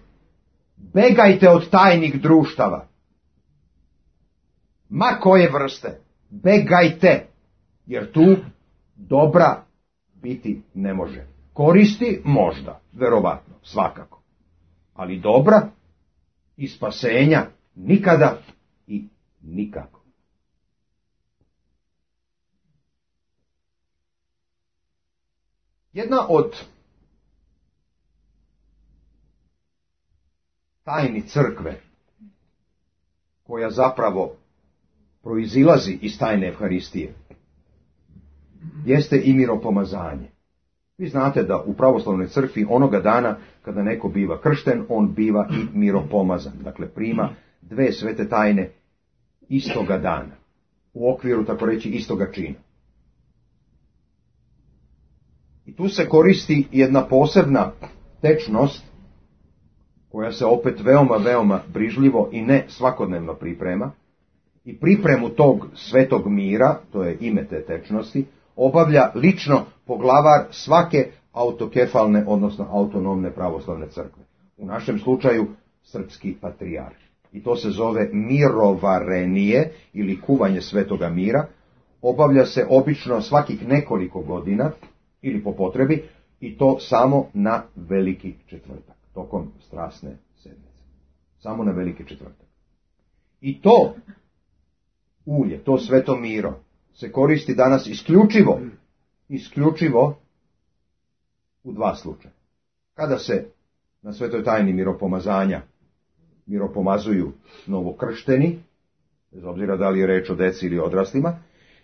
Begajte od tajnih društava. Ma koje vrste. Begajte. Jer tu dobra biti ne može. Koristi možda, verovatno, svakako. Ali dobra i spasenja nikada i nikako. Jedna od tajni crkve, koja zapravo proizilazi iz tajne Evharistije, jeste i miropomazanje. Vi znate da u pravoslavnoj crkvi onoga dana kada neko biva kršten, on biva i miropomazan. Dakle, prima dve svete tajne istoga dana. U okviru, tako reći, istoga čina. I tu se koristi jedna posebna tečnost, koja se opet veoma, veoma brižljivo i ne svakodnevno priprema. I pripremu tog svetog mira, to je ime te tečnosti, obavlja lično poglavar svake autokefalne, odnosno autonomne pravoslavne crkve. U našem slučaju srpski patrijarh. I to se zove mirovarenije ili kuvanje svetoga mira. Obavlja se obično svakih nekoliko godina ili po potrebi i to samo na Veliki četvrtak, tokom strasne sedmice. Samo na Veliki četvrtak. I to ulje, to sveto miro, se koristi danas isključivo, isključivo u dva slučaja. Kada se na svetoj tajni miropomazanja miropomazuju novokršteni, bez obzira da li je reč o deci ili odraslima,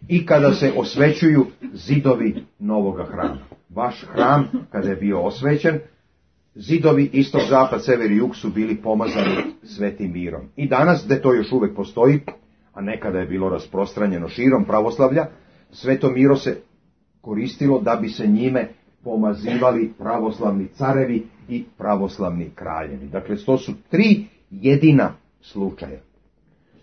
i kada se osvećuju zidovi novoga hrama. Vaš hram, kada je bio osvećen, zidovi istok, zapad, sever i jug su bili pomazani svetim mirom. I danas, gde to još uvek postoji, a nekada je bilo rasprostranjeno širom pravoslavlja, Sveto miro se koristilo da bi se njime pomazivali pravoslavni carevi i pravoslavni kraljevi. Dakle, to su tri jedina slučaja.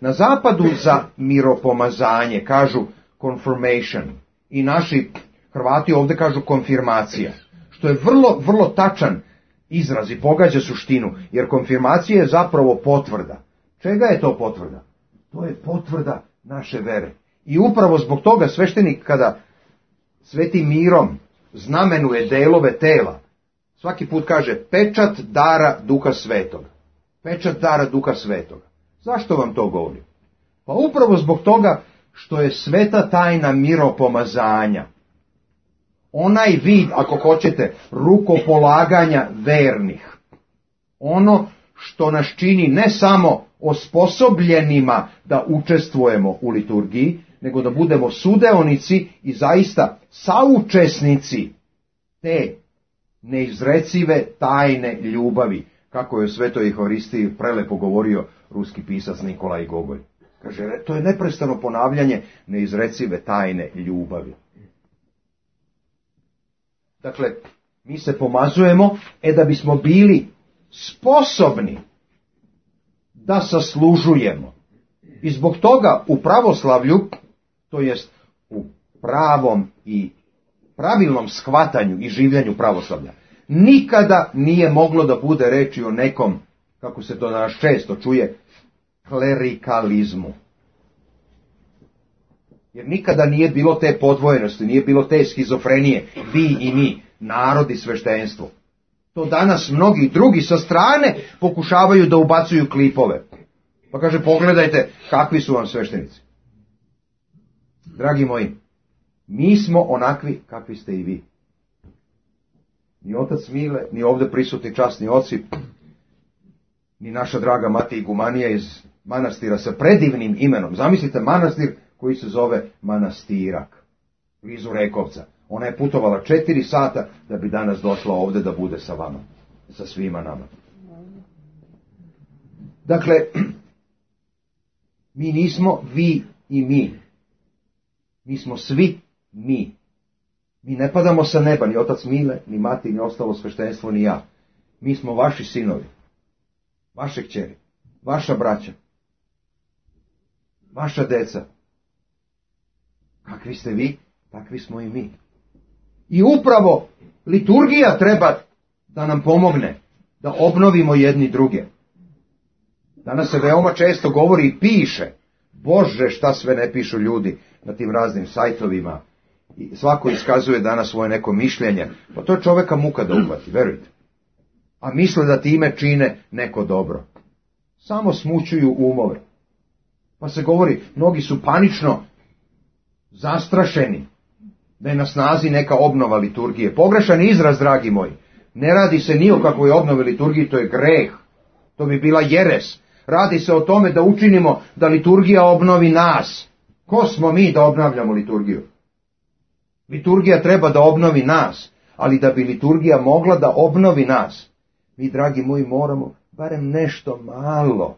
Na zapadu za miropomazanje kažu confirmation i naši Hrvati ovdje kažu konfirmacija, što je vrlo, vrlo tačan izraz i pogađa suštinu, jer konfirmacija je zapravo potvrda. Čega je to potvrda? To je potvrda naše vere. I upravo zbog toga sveštenik kada svetim mirom znamenuje delove tela, svaki put kaže pečat dara Duha Svetoga. Pečat dara Duha Svetoga. Zašto vam to govorim? Pa upravo zbog toga što je sveta tajna miropomazanja. Onaj vid, ako hoćete, rukopolaganja vernih. Ono što nas čini ne samo osposobljenima da učestvujemo u liturgiji, nego da budemo sudeonici i zaista saučesnici te neizrecive tajne ljubavi, kako je o Svetoj Euharistiji prelepo govorio ruski pisac Nikolaj Gogolj. Kaže, to je neprestano ponavljanje neizrecive tajne ljubavi. Dakle, mi se pomazujemo, e da bismo bili sposobni da saslužujemo. I zbog toga u pravoslavlju, to jest u pravom i pravilnom shvatanju i življenju pravoslavlja, nikada nije moglo da bude reči o nekom, kako se to danas često čuje, klerikalizmu. Jer nikada nije bilo te podvojenosti, nije bilo te schizofrenije, vi i mi, narod i sveštenstvo. To danas mnogi drugi sa strane pokušavaju da ubacuju klipove. Pa kaže, pogledajte kakvi su vam sveštenici. Dragi moji, mi smo onakvi kakvi ste i vi. Ni otac Mile, ni ovdje prisutni časni oci, ni naša draga mati igumanija iz manastira sa predivnim imenom. Zamislite manastir koji se zove Manastirak, blizu Rekovca. Ona je putovala četiri sata da bi danas došla ovdje da bude sa vama, sa svima nama. Dakle, mi nismo vi i mi. Mi smo svi mi. Mi ne padamo sa neba, ni otac Mile, ni mati, ni ostalo sveštenstvo, ni ja. Mi smo vaši sinovi, vaše kćeri, vaša braća, vaša deca. Kakvi ste vi, takvi smo i mi. I upravo liturgija treba da nam pomogne da obnovimo jedni druge. Danas se veoma često govori i piše, Bože šta sve ne pišu ljudi na tim raznim sajtovima. I svako iskazuje danas svoje neko mišljenje. Pa to je čoveka muka da uhvati, verujte. A misle da time čine neko dobro. Samo smućuju umove. Pa se govori, mnogi su panično zastrašeni da je na snazi neka obnova liturgije. Pogrešan izraz, dragi moji. Ne radi se ni o kakvoj obnovi liturgije, to je greh. To bi bila jeres. Radi se o tome da učinimo da liturgija obnovi nas. Ko smo mi da obnavljamo liturgiju? Liturgija treba da obnovi nas, ali da bi liturgija mogla da obnovi nas, mi, dragi moji, moramo barem nešto malo,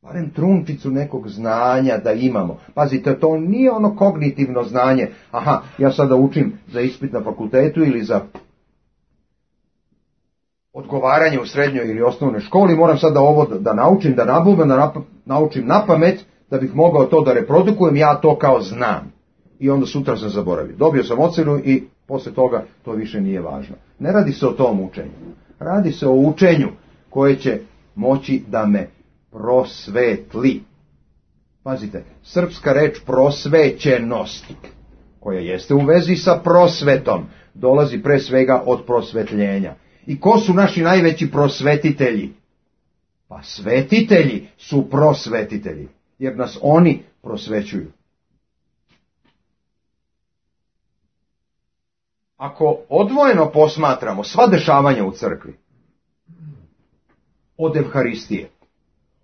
barem trunčicu nekog znanja da imamo. Pazite, to nije ono kognitivno znanje, aha, ja sada učim za ispit na fakultetu ili za odgovaranje u srednjoj ili osnovnoj školi, moram sada ovo da naučim, da nabubam, da naučim na pamet, da bih mogao to da reprodukujem, ja to kao znam. I onda sutra sam zaboravio. Dobio sam ocenu i posle toga to više nije važno. Ne radi se o tom učenju. Radi se o učenju koje će moći da me prosvetli. Pazite, srpska reč prosvećenost, koja jeste u vezi sa prosvetom, dolazi pre svega od prosvetljenja. I ko su naši najveći prosvetitelji? Pa svetitelji su prosvetitelji, jer nas oni prosvećuju. Ako odvojeno posmatramo sva dešavanja u crkvi od Evharistije,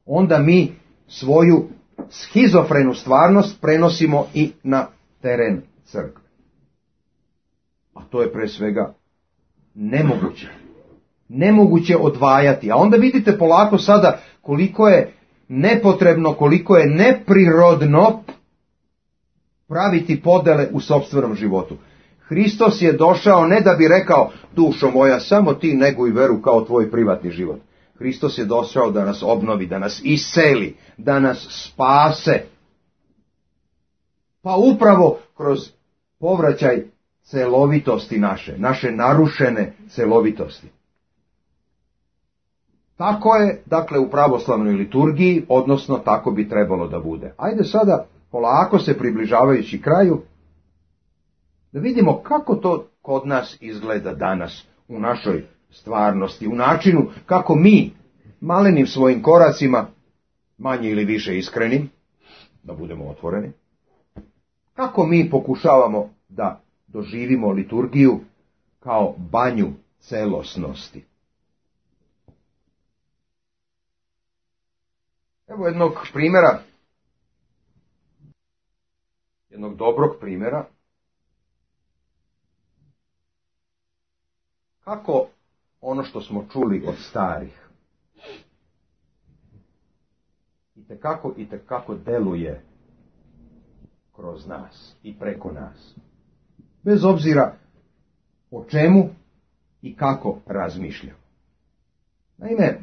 onda mi svoju schizofrenu stvarnost prenosimo i na teren crkve. A to je pre svega nemoguće. Nemoguće odvajati. A onda vidite polako sada koliko je nepotrebno, koliko je neprirodno praviti podele u sopstvenom životu. Hristos je došao ne da bi rekao, dušo moja, samo ti neguj veru kao tvoj privatni život. Hristos je došao da nas obnovi, da nas iseli, da nas spase. Pa upravo kroz povraćaj celovitosti naše, naše narušene celovitosti. Tako je, dakle, u pravoslavnoj liturgiji, odnosno tako bi trebalo da bude. Ajde sada, polako se približavajući kraju, da vidimo kako to kod nas izgleda danas, u našoj stvarnosti, u načinu kako mi, malenim svojim koracima, manje ili više iskrenim, da budemo otvoreni, kako mi pokušavamo da doživimo liturgiju kao banju celosnosti. Evo jednog primjera, jednog dobrog primjera, kako ono što smo čuli od starih itekako, itekako deluje kroz nas i preko nas. Bez obzira o čemu i kako razmišljamo. Naime,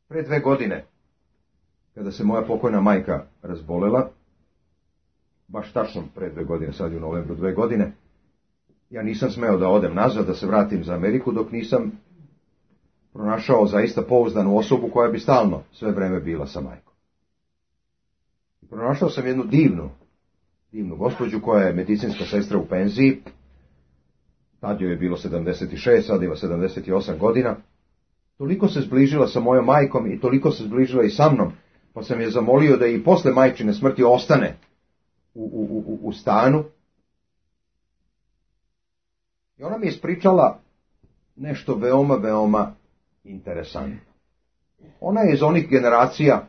pre dve godine, kada se moja pokojna majka razbolela, baš tačno pre dve godine, sad je u novembru dve godine, ja nisam smeo da odem nazad, da se vratim za Ameriku, dok nisam pronašao zaista pouzdanu osobu koja bi stalno sve vreme bila sa majkom. I pronašao sam jednu divnu, divnu gospođu koja je medicinska sestra u penziji, tad joj je bilo sedamdeset šest, sad ima sedamdeset osam godina, toliko se zbližila sa mojom majkom i toliko se zbližila i sa mnom, pa sam je zamolio da i posle majčine smrti ostane u, u, u, u stanu. I ona mi je ispričala nešto veoma, veoma interesantno. Ona je iz onih generacija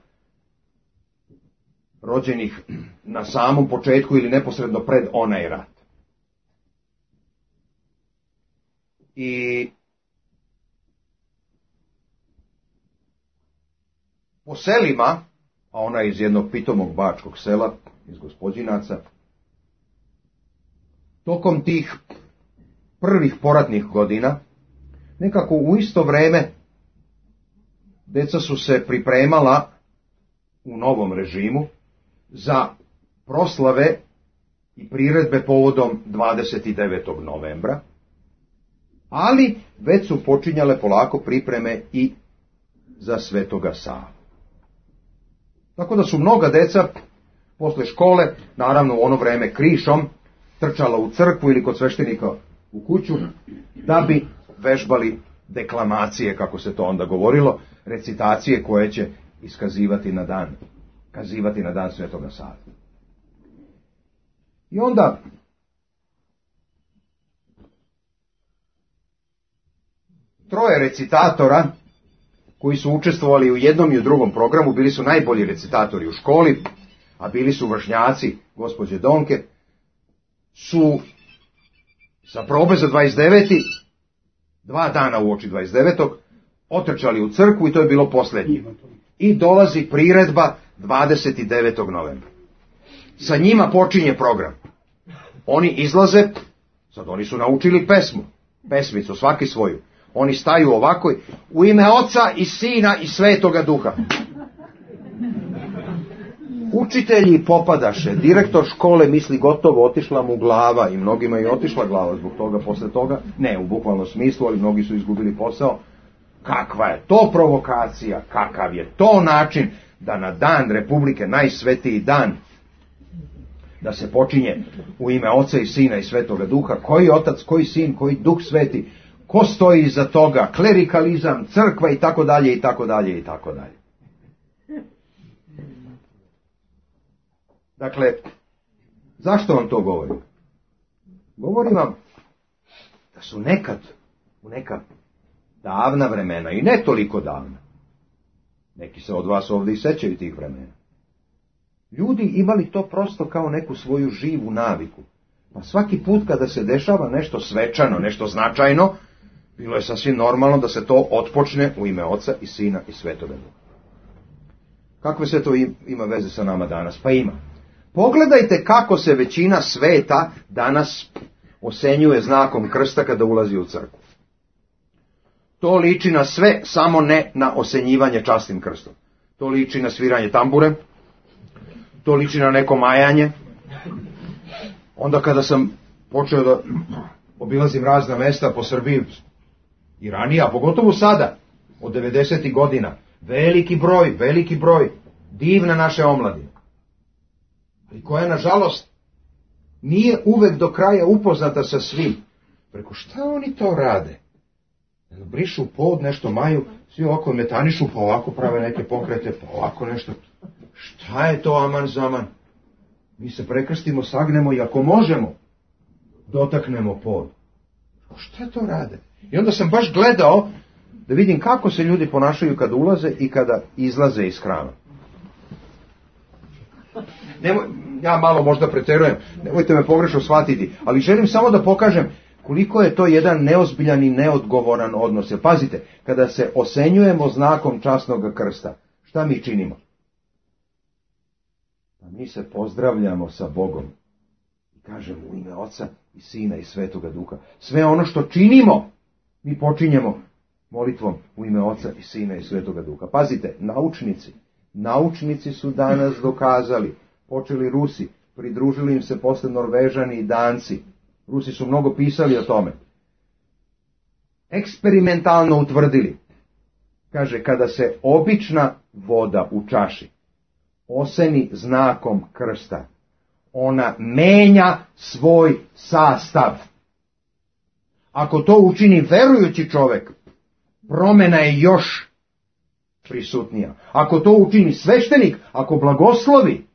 rođenih na samom početku ili neposredno pred onaj rat. I po selima, a ona je iz jednog pitomog bačkog sela, iz Gospođinaca, tokom tih prvih poratnih godina, nekako u isto vreme, deca su se pripremala u novom režimu za proslave i priredbe povodom dvadeset devetog novembra, ali već su počinjale polako pripreme i za Svetoga Savu. Tako da su mnoga deca posle škole, naravno u ono vreme krišom, trčala u crkvu ili kod sveštenika u kuću, da bi vežbali deklamacije, kako se to onda govorilo, recitacije koje će iskazivati na dan, kazivati na dan Svetoga Save. I onda troje recitatora koji su učestvovali u jednom i u drugom programu, bili su najbolji recitatori u školi, a bili su vršnjaci gospođe Donke, su sa probe za dvadeset deveti dva dana uoči dvadeset devetog otrčali u crkvu i to je bilo posljednje. I dolazi priredba dvadeset devetog novembra. Sa njima počinje program. Oni izlaze, sad oni su naučili pesmu, pesmicu, svaki svoju. Oni staju ovako, u ime Oca i Sina i Svetoga Duha. Učitelji popadaše, direktor škole misli gotovo, otišla mu glava i mnogima je otišla glava zbog toga, posle toga, ne u bukvalnom smislu, ali mnogi su izgubili posao. Kakva je to provokacija, kakav je to način da na dan Republike, najsvetiji dan, da se počinje u ime Oca i Sina i Svetoga Duha, koji Otac, koji Sin, koji Duh Sveti, ko stoji iza toga, klerikalizam, crkva i tako dalje i tako dalje i tako dalje. Dakle, zašto vam to govorim? Govorim vam da su nekad, u neka davna vremena, i ne toliko davna, neki se od vas ovdje i sećaju tih vremena, ljudi imali to prosto kao neku svoju živu naviku. Pa svaki put kada se dešava nešto svečano, nešto značajno, Bilo je sasvim normalno da se to otpočne u ime Oca i Sina i Svetoga Duha. Kakve se to ima veze sa nama danas? Pa ima. Pogledajte kako se većina sveta danas osenjuje znakom krsta kada ulazi u crkvu. To liči na sve, samo ne na osenjivanje častim krstom. To liči na sviranje tambure, to liči na neko majanje. Onda kada sam počeo da obilazim razna mesta po Srbiji i ranije, a pogotovo sada, od devedesetih godina, veliki broj, veliki broj divne naše omladine, ali koja, nažalost, nije uvek do kraja upoznata sa svim. Preko šta oni to rade? Brišu pod, nešto maju, svi ovako metanišu, pa ovako prave neke pokrete, pa ovako nešto. Šta je to aman zaman? Mi se prekrstimo, sagnemo i ako možemo, dotaknemo pod. Šta to rade? I onda sam baš gledao da vidim kako se ljudi ponašaju kada ulaze i kada izlaze iz hrama. Nemoj, ja malo možda preterujem, nemojte me pogrešno shvatiti, ali želim samo da pokažem koliko je to jedan neozbiljan i neodgovoran odnos. Jer pazite, kada se osenjujemo znakom časnog krsta, šta mi činimo? Pa mi se pozdravljamo sa Bogom i kažemo u ime Oca i Sina i Svetoga Duha. Sve ono što činimo, mi počinjemo molitvom u ime Oca i Sina i Svetoga Duha. Pazite, naučnici, naučnici su danas dokazali, počeli Rusi, pridružili im se posle Norvežani i Danci. Rusi su mnogo pisali o tome. Eksperimentalno utvrdili. Kaže, kada se obična voda u čaši oseni znakom krsta, ona menja svoj sastav. Ako to učini verujući čovjek, promjena je još prisutnija. Ako to učini sveštenik, ako blagoslovi,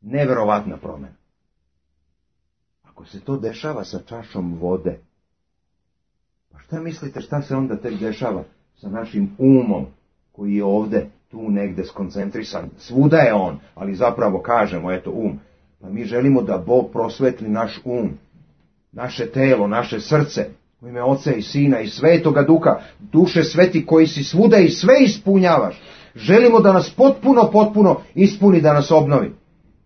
neverovatna promjena. Ako se to dešava sa čašom vode, pa šta mislite šta se onda tek dešava sa našim umom koji je ovde tu negde skoncentrisan? Svuda je on, ali zapravo kažemo, eto um. Pa mi želimo da Bog prosvetli naš um, naše telo, naše srce, u ime Oca i Sina i Svetoga Duha, Duše sveti koji si svuda i sve ispunjavaš. Želimo da nas potpuno, potpuno ispuni, da nas obnovi.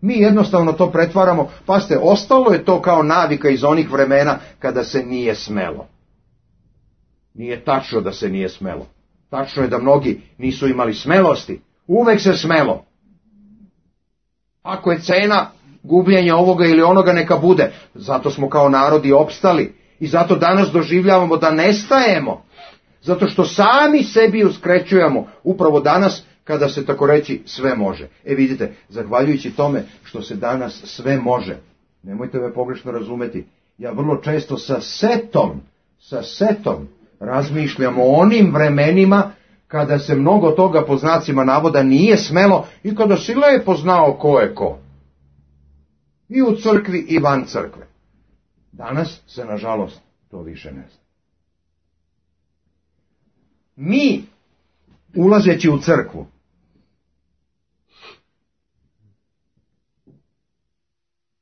Mi jednostavno to pretvaramo, pa ste, ostalo je to kao navika iz onih vremena kada se nije smelo. Nije tačno da se nije smelo. Tačno je da mnogi nisu imali smelosti. Uvek se smelo. Ako je cena gubljenja ovoga ili onoga, neka bude. Zato smo kao narodi opstali i zato danas doživljavamo da nestajemo. Zato što sami sebi uskrećujemo upravo danas kada se tako reći sve može. E vidite, zahvaljujući tome što se danas sve može, nemojte me pogrešno razumeti, ja vrlo često sa setom, sa setom razmišljam o onim vremenima kada se mnogo toga po znacima navoda nije smelo i kada si lepo znao ko je ko. I u crkvi i van crkve. Danas se, nažalost, to više ne zna. Mi, ulazeći u crkvu,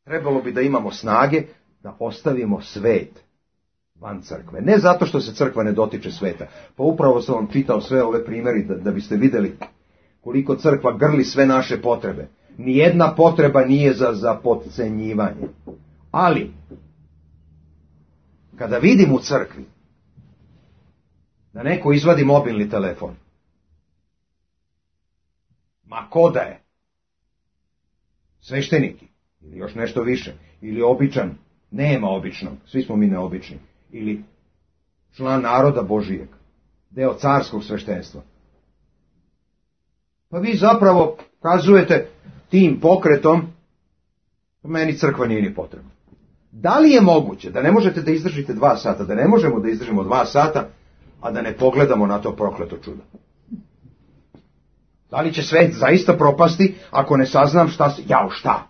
trebalo bi da imamo snage da ostavimo svet van crkve. Ne zato što se crkva ne dotiče sveta. Pa upravo sam vam čitao sve ove primjeri da, da biste vidjeli koliko crkva grli sve naše potrebe. Nijedna potreba nije za, za potcenjivanje. Ali, kada vidim u crkvi da neko izvadi mobilni telefon, ma ko da je, svešteniki, ili još nešto više, ili običan, nema običnog, svi smo mi neobični, ili član naroda Božijeg, deo carskog sveštenstva. Pa vi zapravo kazujete tim pokretom, meni crkva nije ni potrebna. Da li je moguće da ne možete da izdržite dva sata, da ne možemo da izdržimo dva sata, a da ne pogledamo na to prokleto čudo? Da li će svet zaista propasti ako ne saznam šta se... Jao, šta?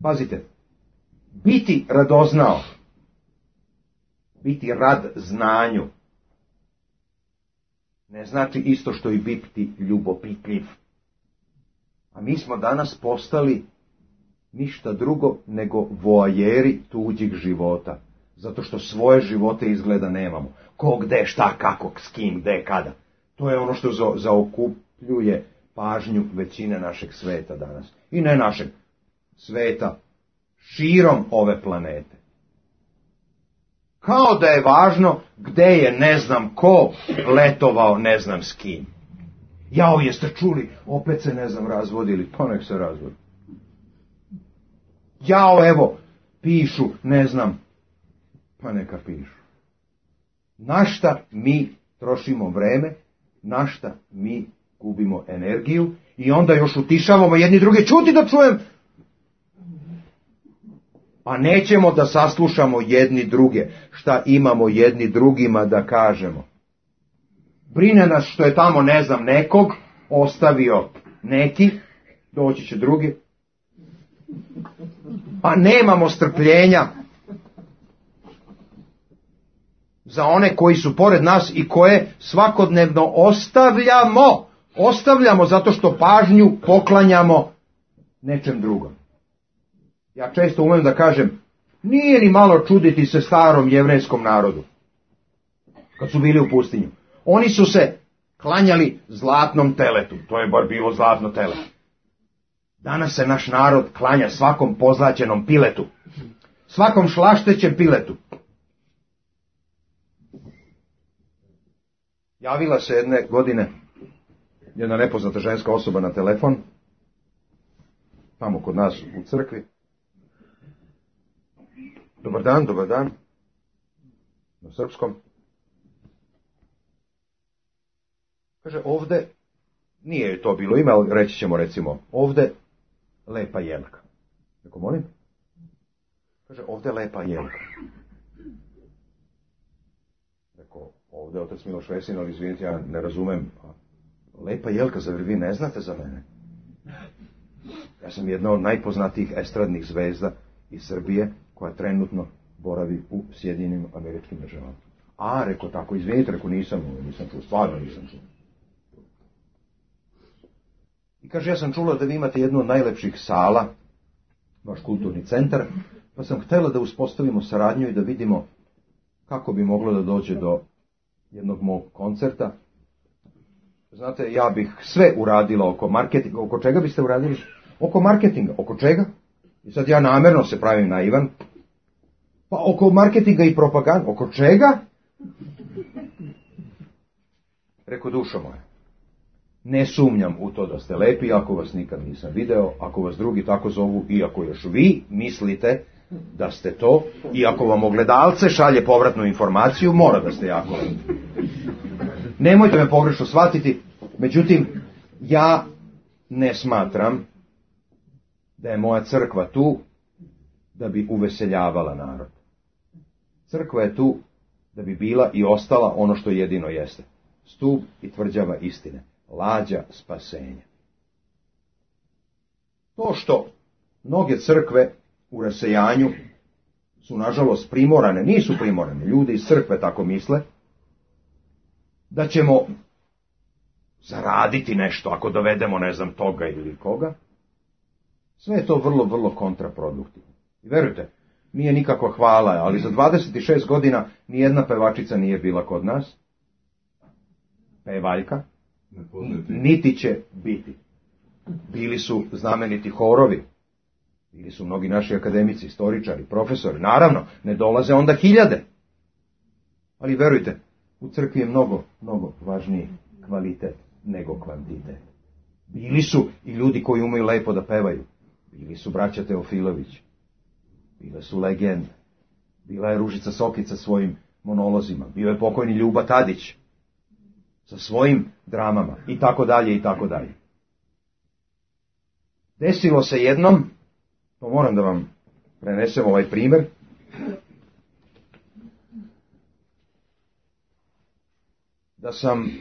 Pazite, biti radoznao, biti rad znanju, ne znači isto što i biti ljubopitljiv. A mi smo danas postali ništa drugo nego voajeri tuđih života. Zato što svoje živote izgleda nemamo. Ko, gde, šta, kako, s kim, gde, kada. To je ono što zaokupljuje pažnju većine našeg sveta danas. I ne našeg sveta, širom ove planete. Kao da je važno gde je ne znam ko letovao ne znam s kim. Jao, jeste čuli, opet se ne znam razvodili, pa nek se razvodi. Jao, evo, pišu, ne znam, pa neka pišu. Na šta mi trošimo vreme, na šta mi gubimo energiju i onda još utišavamo jedni druge, čuti da čujem, a nećemo da saslušamo jedni druge, šta imamo jedni drugima da kažemo. Brine nas što je tamo, ne znam, nekog ostavio neki, doći će drugi, a nemamo strpljenja za one koji su pored nas i koje svakodnevno ostavljamo, ostavljamo zato što pažnju poklanjamo nečem drugom. Ja često umem da kažem, nije ni malo čuditi se starom jevrejskom narodu, kad su bili u pustinju. Oni su se klanjali zlatnom teletu, to je bar bilo zlatno tele. Danas se naš narod klanja svakom pozlaćenom piletu, svakom šlaštećem piletu. Javila se jedne godine jedna nepoznata ženska osoba na telefon, tamo kod nas u crkvi. Dobar dan, dobar dan, na srpskom. Kaže, ovde, nije to bilo ime, ali reći ćemo recimo, ovde lepa jelka. Neko molim? Kaže, ovde lepa jelka. Rekao, ovde otac Miloš Vesin, ali izvinite, ja ne razumem. Lepa jelka, zar vi ne znate za mene? Ja sam jedna od najpoznatijih estradnih zvezda iz Srbije, koja trenutno boravi u Sjedinjenim Američkim Državama. A, rekao tako, izvinite, rekao, nisam, nisam čuo, stvarno nisam čuo. I kaže, ja sam čula da vi imate jednu od najlepših sala, vaš kulturni centar, pa sam htjela da uspostavimo saradnju i da vidimo kako bi moglo da dođe do jednog mog koncerta. Znate, ja bih sve uradila oko marketinga. Oko čega biste uradili? Oko marketinga. Oko čega? I sad ja namjerno se pravim naivan. Pa oko marketinga i propaganda. Oko čega? Rekao, dušo moja, ne sumnjam u to da ste lepi, ako vas nikad nisam video, ako vas drugi tako zovu, i ako još vi mislite da ste to, i ako vam ogledalce šalje povratnu informaciju, mora da ste jako lepi. Nemojte me pogrešno shvatiti, međutim, ja ne smatram da je moja crkva tu da bi uveseljavala narod. Crkva je tu da bi bila i ostala ono što jedino jeste. Stup i tvrđava istine. Lađa spasenja. To što mnoge crkve u rasejanju su nažalost primorane, nisu primorane, ljudi iz crkve tako misle, da ćemo zaraditi nešto ako dovedemo ne znam toga ili koga, sve je to vrlo, vrlo kontraproduktivno. I verujte, nije nikakva hvala, ali za dvadeset šest godina nijedna pevačica nije bila kod nas, pevaljka, niti će biti. Bili su znameniti horovi, bili su mnogi naši akademici, istoričari, profesori, naravno, ne dolaze onda hiljade. Ali verujte, u crkvi je mnogo, mnogo važniji kvalitet nego kvantitet. Bili su i ljudi koji umeju lepo da pevaju. Bili su braća Teofilović. Bile su legende. Bila je Ružica Sokica svojim monolozima. Bio je pokojni Ljuba Tadić sa svojim dramama i tako dalje i tako dalje. Desilo se jednom, to moram da vam prenesem ovaj primjer, da sam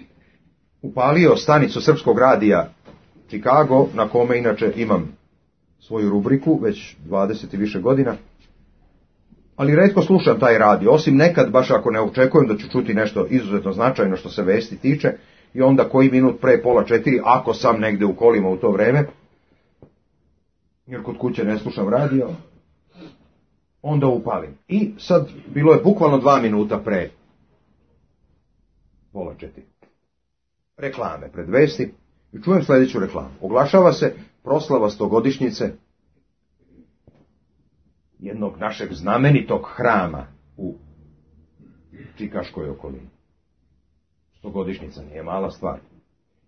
upalio stanicu Srpskog radija Chicago, na kome inače imam svoju rubriku, već dvadeset i više godina, ali retko slušam taj radio, osim nekad, baš ako ne očekujem da ću čuti nešto izuzetno značajno što se vesti tiče, i onda koji minut pre pola četiri, ako sam negde u kolima u to vreme, jer kod kuće ne slušam radio, onda upalim. I sad, bilo je bukvalno dva minuta pre pola četiri. Reklame pred vesti. I čujem sljedeću reklamu. Oglašava se proslava stogodišnjice jednog našeg znamenitog hrama u Čikaškoj okolini. Stogodišnjica nije mala stvar.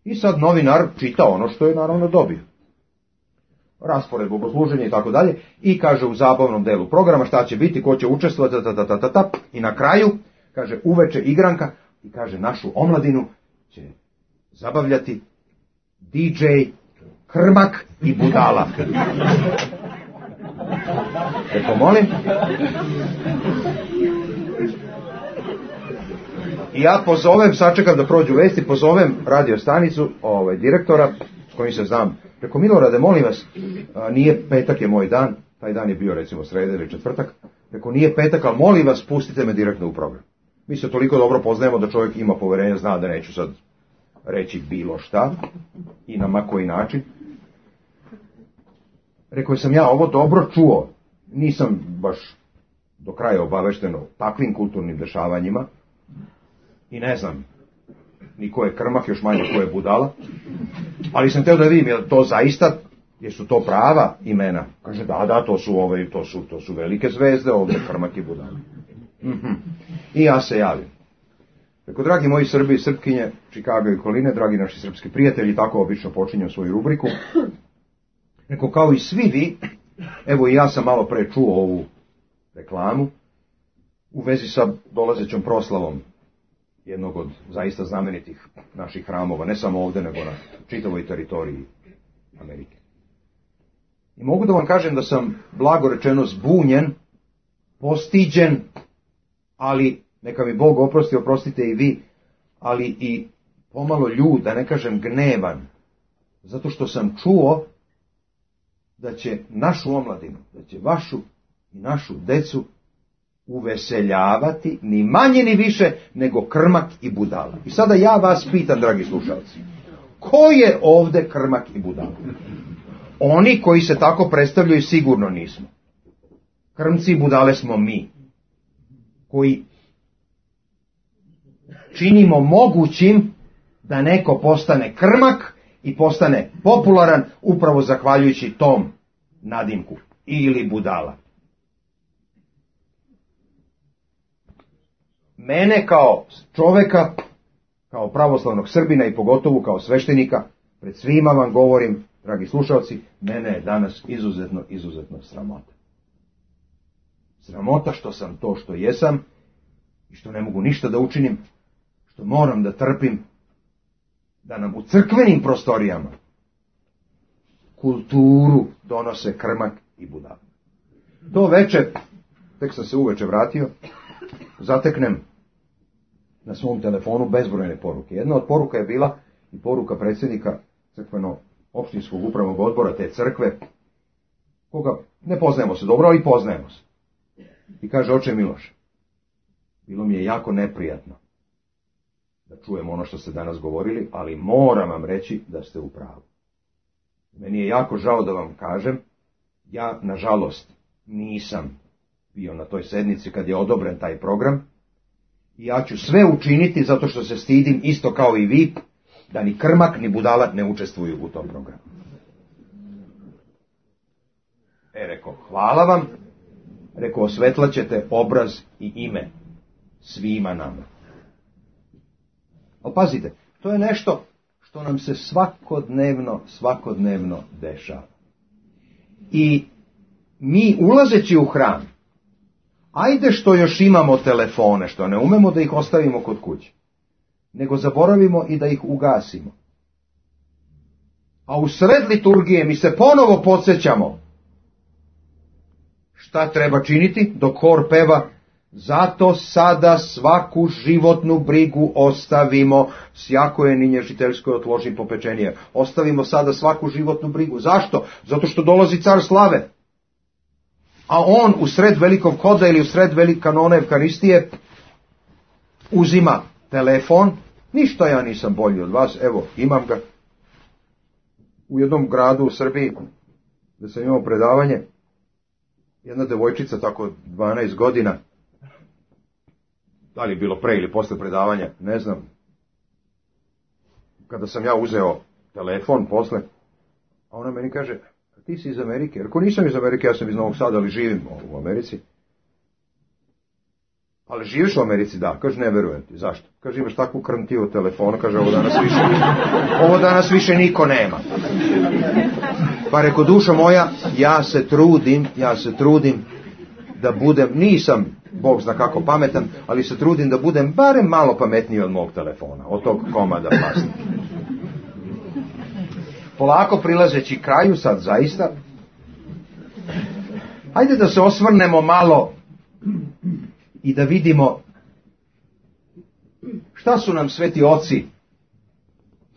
I sad novinar čita ono što je naravno dobio. Raspored bogosluženja i tako dalje. I kaže u zabavnom delu programa šta će biti, ko će učestvovati, ta, ta, ta, ta, ta, i na kraju kaže uveče igranka i kaže našu omladinu će zabavljati D J Krmak i Budala. Eko molim. I ja pozovem, sačekam da prođu vesti, pozovem radio stanicu, ovaj, direktora, s kojim se znam. Reko, Milorade, molim vas, a, nije petak je moj dan, taj dan je bio recimo sreda ili četvrtak. Reko, nije petak, ali molim vas, pustite me direktno u program. Mi se toliko dobro poznajemo da čovjek ima poverenja, zna da neću sad reći bilo šta i na ma koji način. Rekao sam ja ovo dobro čuo, nisam baš do kraja obavešten o takvim kulturnim dešavanjima i ne znam ni ko je Krmak, još manje ko je Budala, ali sam teo da vidim je to zaista, jesu to prava imena. Kaže da, da, to su ove, to su, to su velike zvezde ovdje, Krmak i Budala. Mm-hmm. I ja se javim. Rekao, dragi moji Srbi i Srpkinje, Čikaga i okoline, dragi naši srpski prijatelji, tako obično počinjem svoju rubriku. Rekao, kao i svi vi, evo i ja sam malo pre čuo ovu reklamu u vezi sa dolazećom proslavom jednog od zaista znamenitih naših hramova, ne samo ovdje, nego na čitavoj teritoriji Amerike. I mogu da vam kažem da sam, blago rečeno, zbunjen, postiđen, ali neka mi Bog oprosti, oprostite i vi, ali i pomalo ljud, da ne kažem gnevan, zato što sam čuo da će našu omladinu, da će vašu i našu decu uveseljavati ni manje ni više nego Krmak i Budala. I sada ja vas pitam, dragi slušalci, ko je ovdje Krmak i Budala? Oni koji se tako predstavljaju sigurno nismo. Krmci i Budale smo mi, koji činimo mogućim da neko postane Krmak i postane popularan upravo zahvaljujući tom nadimku ili Budala. Mene kao čoveka, kao pravoslavnog Srbina i pogotovo kao sveštenika, pred svima vam govorim, dragi slušalci, mene je danas izuzetno, izuzetno sramota. Sramota što sam to što jesam i što ne mogu ništa da učinim, što moram da trpim, da nam u crkvenim prostorijama kulturu donose Krmak i Budala. To veče, tek sam se uveče vratio, zateknem na svom telefonu bezbrojne poruke. Jedna od poruka je bila i poruka predsjednika crkveno-opštinskog upravnog odbora te crkve, koga ne poznajemo se dobro, ali poznajemo se. I kaže, oče Miloš, bilo mi je jako neprijatno da čujem ono što ste danas govorili, ali moram vam reći da ste u pravu. Meni je jako žao da vam kažem, ja, nažalost, nisam bio na toj sednici kad je odobren taj program i ja ću sve učiniti zato što se stidim, isto kao i vi, da ni Krmak ni Budala ne učestvuju u tom programu. E, rekao, hvala vam, rekao, osvetlat ćete obraz i ime svima nama. Ali pazite, to je nešto što nam se svakodnevno, svakodnevno dešava. I mi ulazeći u hram, ajde što još imamo telefone, što ne umemo da ih ostavimo kod kuće, nego zaboravimo i da ih ugasimo. A u sred liturgije mi se ponovo podsjećamo šta treba činiti dok hor peva, zato sada svaku životnu brigu ostavimo, sjako je ni nježiteljskoj otloži popečenije. Ostavimo sada svaku životnu brigu. Zašto? Zato što dolazi car slave. A on u sred velikog hoda ili u sred velike kanone Evkaristije uzima telefon. Ništa ja nisam bolji od vas, evo imam ga. U jednom gradu u Srbiji, da sam imao predavanje, jedna devojčica, tako dvanaest godina, da li je bilo pre ili posle predavanja, ne znam, kada sam ja uzeo telefon posle, a ona meni kaže, ti si iz Amerike. Jer ako nisam iz Amerike, ja sam iz Novog Sada, ali živim u Americi. Ali živiš u Americi? Da. Kaže, ne verujem ti. Zašto? Kaže, imaš takvu krntiju telefona. Kaže, ovo danas više, ovo danas više niko nema. Pa reko, duša moja, ja se trudim, ja se trudim da budem, nisam, Bog zna kako pametan, ali se trudim da budem barem malo pametniji od mog telefona, od tog komada plastika. Polako prilazeći kraju, sad zaista, hajde da se osvrnemo malo i da vidimo šta su nam sveti oci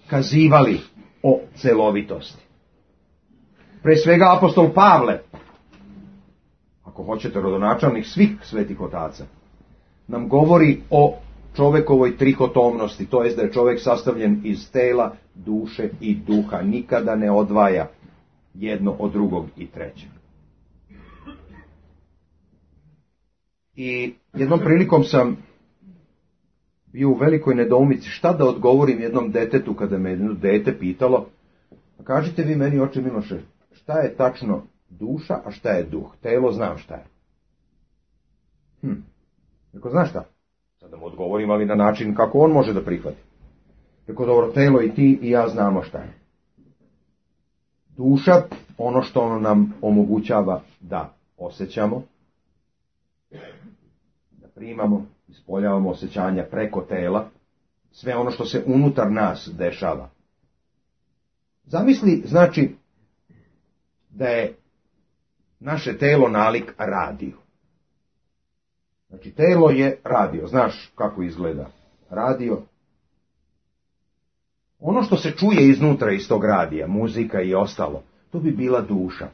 kazivali o celovitosti. Pre svega apostol Pavle, ako hoćete rodonačelnik svih svetih otaca, nam govori o čovekovoj trihotomnosti, to jest da je čovjek sastavljen iz tela, duše i duha, nikada ne odvaja jedno od drugog i trećeg. I jednom prilikom sam bio u velikoj nedoumici šta da odgovorim jednom detetu kada me jedno dete pitalo, kažite vi meni, oče Miloše, šta je tačno duša, a šta je duh? Telo znam šta je. Hm, neko znaš šta? Sad da mu odgovorim, ali na način kako on može da prihvati. Tako dobro, telo i ti i ja znamo šta je. Duša, ono što ono nam omogućava da osjećamo, da primamo, ispoljavamo osjećanja preko tela, sve ono što se unutar nas dešava. Zamisli, znači, da je naše telo nalik radiju. Znači, telo je radio. Znaš kako izgleda radio? Ono što se čuje iznutra iz tog radija, muzika i ostalo, to bi bila duša.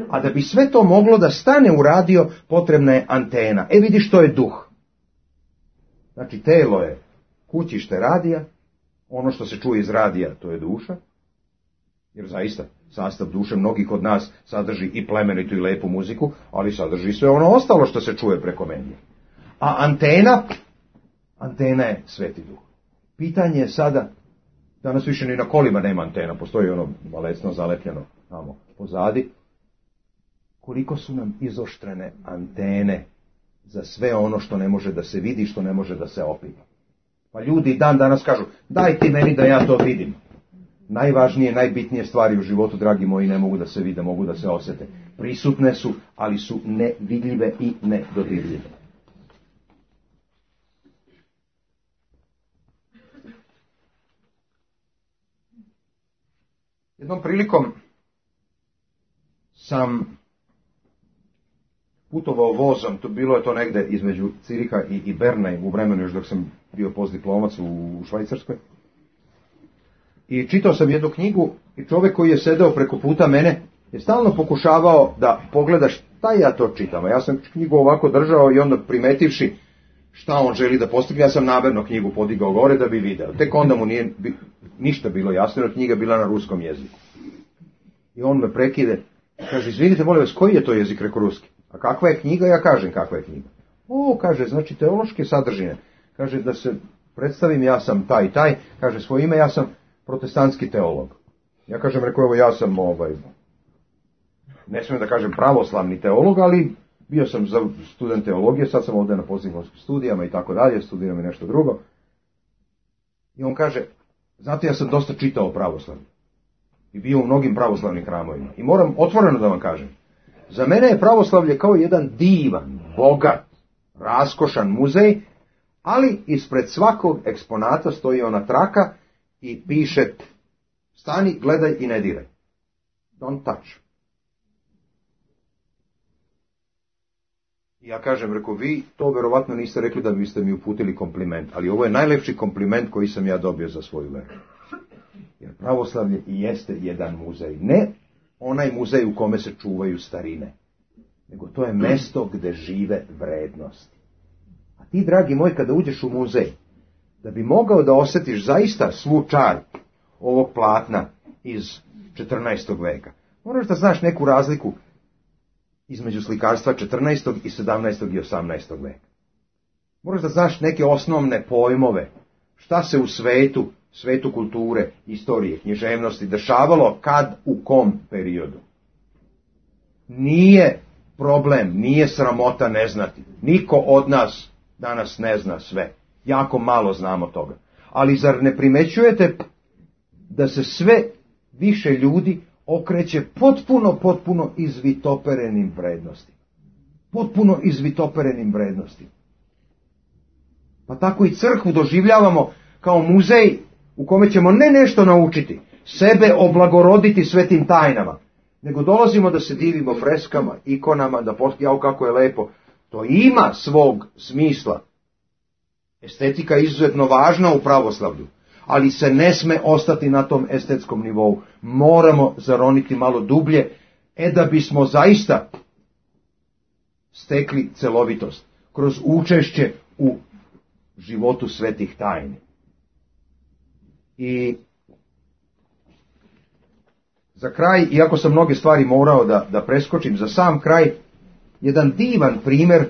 A da bi sve to moglo da stane u radio, potrebna je antena. E vidi što je duh. Znači, telo je kućište radija, ono što se čuje iz radija, to je duša. Jer zaista, sastav duše mnogih od nas sadrži i plemenitu i lepu muziku, ali sadrži sve ono ostalo što se čuje preko medija. A antena, antena je sveti duh. Pitanje je sada, danas više ni na kolima nema antena, postoji ono balecno zalepljeno tamo pozadi, koliko su nam izoštrene antene za sve ono što ne može da se vidi, što ne može da se opipa. Pa ljudi dan danas kažu, daj ti meni da ja to vidim. Najvažnije, najbitnije stvari u životu, dragi moji, ne mogu da se vide, mogu da se osjete. Prisutne su, ali su nevidljive i nedodirljive. Jednom prilikom sam putovao vozom, to bilo je to negde između Ciriha i, i Berna, u vremenu još dok sam bio postdiplomac u, u Švajcarskoj. I čitao sam jednu knjigu i čovjek koji je sedeo preko puta mene je stalno pokušavao da pogleda šta ja to čitam. A ja sam knjigu ovako držao i onda primetivši šta on želi da postigne, ja sam namerno knjigu podigao gore da bi video. Tek onda mu nije ništa bilo jasno, jer knjiga bila na ruskom jeziku. I on me prekide, kaže, izvinite, molim vas, koji je to jezik, reko ruski? A kakva je knjiga? Ja kažem kakva je knjiga. O, kaže, znači teološke sadržine. Kaže, da se predstavim, ja sam taj i taj, kaže svoje ime, ja sam protestantski teolog. Ja kažem, rekao, evo, ja sam, ovaj, ne smijem da kažem pravoslavni teolog, ali bio sam za student teologije, sad sam ovdje na postdiplomskim studijama i tako dalje, studiram i nešto drugo. I on kaže, znate, ja sam dosta čitao pravoslavlje. I bio u mnogim pravoslavnim hramovima. I moram otvoreno da vam kažem, za mene je pravoslavlje kao jedan divan, bogat, raskošan muzej, ali ispred svakog eksponata stoji ona traka i piše, stani, gledaj i ne diraj. Don't touch. I ja kažem, reko, vi to verovatno niste rekli da biste mi uputili kompliment, ali ovo je najlepši kompliment koji sam ja dobio za svoju veru. Jer pravoslavlje i jeste jedan muzej. Ne onaj muzej u kome se čuvaju starine, nego to je mesto gde žive vrednosti. A ti, dragi moj, kada uđeš u muzej, da bi mogao da osjetiš zaista svu čar ovog platna iz četrnaestog veka, moraš da znaš neku razliku između slikarstva četrnaestog i sedamnaestog i osamnaestog veka. Moraš da znaš neke osnovne pojmove, šta se u svetu, svetu kulture, istorije, književnosti dešavalo kad, u kom periodu. Nije problem, nije sramota ne znati. Niko od nas danas ne zna sve. Jako malo znamo toga. Ali zar ne primećujete da se sve više ljudi okreće potpuno, potpuno izvitoperenim vrednostima. Potpuno izvitoperenim vrednostima. Pa tako i crkvu doživljavamo kao muzej u kome ćemo ne nešto naučiti, sebe oblagoroditi svetim tajnama, nego dolazimo da se divimo freskama, ikonama, da jao kako je lepo. To ima svog smisla. Estetika je izuzetno važna u pravoslavlju, ali se ne sme ostati na tom estetskom nivou. Moramo zaroniti malo dublje, e da bismo zaista stekli celovitost kroz učešće u životu svetih tajni. I za kraj, iako sam mnoge stvari morao da, da preskočim, za sam kraj, jedan divan primjer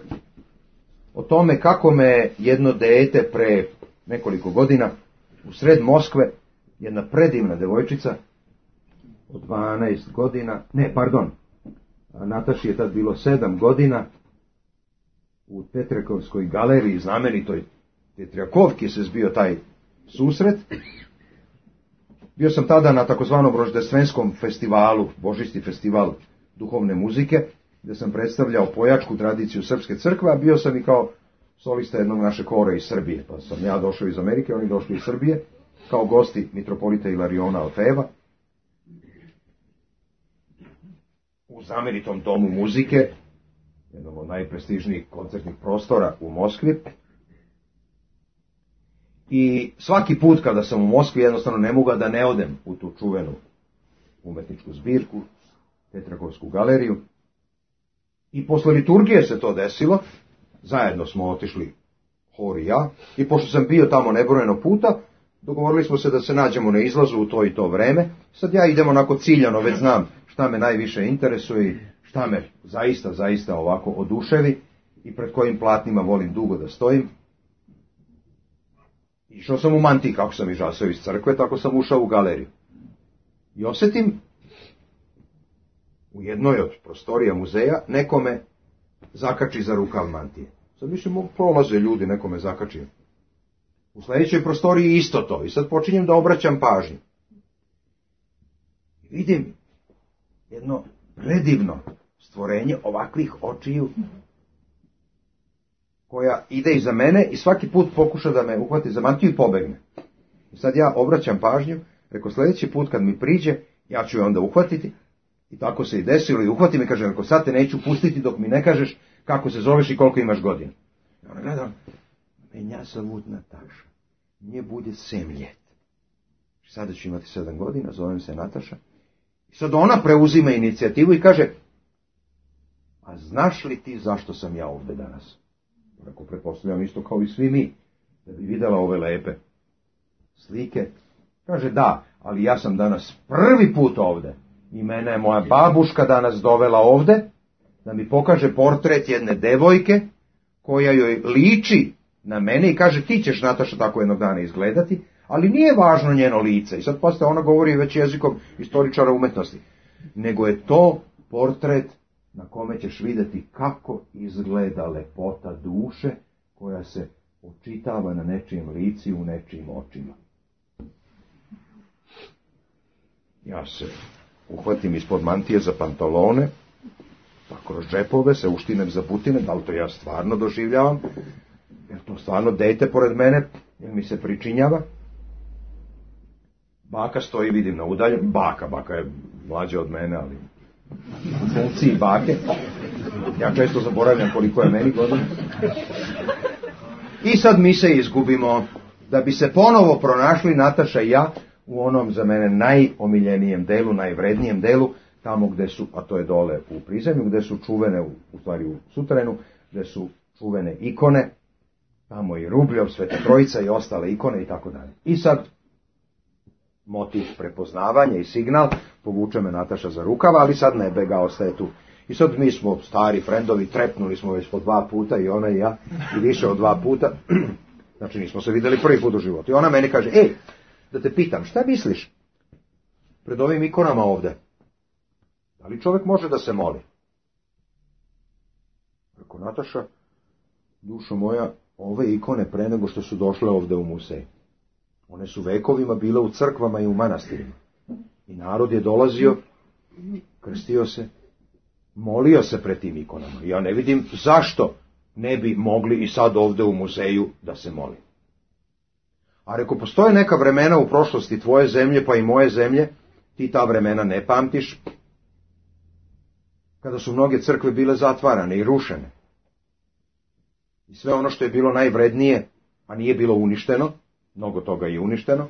o tome kako me jedno dete pre nekoliko godina u sred Moskve, jedna predivna devojčica od dvanaest godina, ne, pardon, Nataši je tad bilo sedam godina, u Tetrekovskoj galeriji, znamenitoj Tetrjakovki se zbio taj susret. Bio sam tada na takozvanom roždestvenskom festivalu, Božićni festival duhovne muzike, gdje sam predstavljao pojačku tradiciju srpske crkve, a bio sam i kao solista jednog našeg hora iz Srbije. Pa sam ja došao iz Amerike, oni došli iz Srbije, kao gosti mitropolita Ilariona Alfeva, u znamenitom domu muzike, jednom od najprestižnijih koncertnih prostora u Moskvi. I svaki put kada sam u Moskvi jednostavno ne mogu da ne odem u tu čuvenu umetničku zbirku, Tetrakovsku galeriju. I posle liturgije se to desilo, zajedno smo otišli, hor i ja, i pošto sam bio tamo nebrojeno puta, dogovorili smo se da se nađemo na izlazu u to i to vreme. Sad ja idem onako ciljano, već znam šta me najviše interesuje, šta me zaista, zaista ovako oduševi i pred kojim platnima volim dugo da stojim. Išao sam u mantiji, kako sam izašao iz crkve, tako sam ušao u galeriju. I osjetim u jednoj od prostorija muzeja nekome zakači za rukav mantije. Sad više mogu prolaze ljudi, nekome zakači. U sljedećoj prostoriji isto to. I sad počinjem da obraćam pažnju. I vidim jedno predivno stvorenje ovakvih očiju, koja ide iza mene i svaki put pokuša da me uhvati za mantiju i pobegne. I sad ja obraćam pažnju, reko sljedeći put kad mi priđe, ja ću je onda uhvatiti. I tako se i desilo i uhvati me, kaže, reko sad te neću pustiti dok mi ne kažeš kako se zoveš i koliko imaš godina. I ona gledam, menja zavut Nataša, nje bude sedam ljet. Sada ću imati sedam godina, zovem se Nataša. I sad ona preuzima inicijativu i kaže, a znaš li ti zašto sam ja ovdje danas? Ako pretpostavljam isto kao i svi mi, da bi vidjela ove lepe slike. Kaže, da, ali ja sam danas prvi put ovdje. I mene je moja babuška danas dovela ovdje, da mi pokaže portret jedne devojke, koja joj liči na mene i kaže, ti ćeš, Nataša, tako jednog dana izgledati, ali nije važno njeno lice. I sad posle ona govori već jezikom istoričara umetnosti. Nego je to portret na kome ćeš vidjeti kako izgleda lepota duše koja se očitava na nečijem lici u nečijim očima. Ja se uhvatim ispod mantije za pantalone, pa kroz džepove se uštinem za butine, da li to ja stvarno doživljavam, jer to stvarno dete pored mene, jer mi se pričinjava. Baka stoji, vidim na udalju, baka, baka je mlađa od mene, ali u funkciji bake. Ja često zaboravljam koliko je meni godina. I sad mi se izgubimo, da bi se ponovo pronašli Nataša i ja u onom za mene najomiljenijem delu, najvrednijem delu, tamo gde su, a to je dole u prizemlju, gde su čuvene, u, u stvari u suterenu, gde su čuvene ikone, tamo i Rubljov, Sveta Trojica i ostale ikone i tako dalje. I sad motiv prepoznavanja i signal, povuče me Nataša za rukava, ali sad ne bega, ostaje tu. I sad mi smo stari frendovi, trepnuli smo već po dva puta, i ona i ja, i više od dva puta. Znači nismo se vidjeli prvi put u životu. I ona meni kaže, ej, da te pitam, šta misliš pred ovim ikonama ovde? Da li čovjek može da se moli? Rekao, Nataša, dušo moja, ove ikone pre nego što su došle ovde u muzej, one su vekovima bile u crkvama i u manastirima. I narod je dolazio, krstio se, molio se pred tim ikonama. Ja ne vidim zašto ne bi mogli i sad ovde u muzeju da se moli. A reko, postoje neka vremena u prošlosti tvoje zemlje pa i moje zemlje, ti ta vremena ne pamtiš, kada su mnoge crkve bile zatvarane i rušene. I sve ono što je bilo najvrednije, a nije bilo uništeno, mnogo toga je uništeno,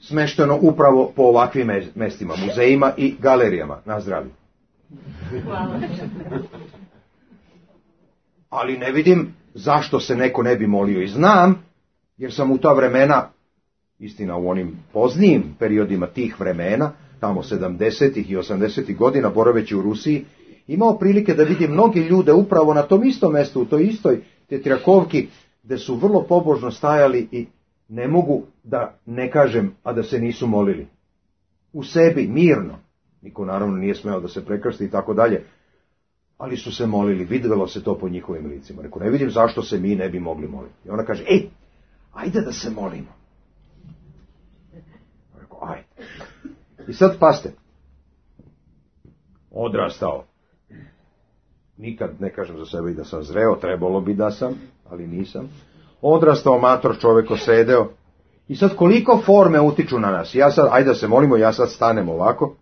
smešteno upravo po ovakvim mestima, muzejima i galerijama. Na zdravlje. Hvala. Ali ne vidim zašto se neko ne bi molio. I znam, jer sam u ta vremena, istina u onim poznijim periodima tih vremena, tamo sedamdesetih i osamdesetih godina, boraveći u Rusiji, imao prilike da vidim mnogi ljude upravo na tom istom mjestu, u toj istoj Tetriakovki, gde su vrlo pobožno stajali i ne mogu da ne kažem, a da se nisu molili. U sebi, mirno. Niko naravno nije smeo da se prekrsti i tako dalje. Ali su se molili, vidjelo se to po njihovim licima. Rekao, ne vidim zašto se mi ne bi mogli moliti. I ona kaže, ej, ajde da se molimo. Rekao, ajde. I sad paste. Odrastao. Nikad ne kažem za sebe i da sam zreo, trebalo bi da sam, ali nisam. Odrastao, mator čovjek, osedeo. I sad koliko forme utiču na nas. Ja sad, ajde da se molimo, ja sad stanem ovako.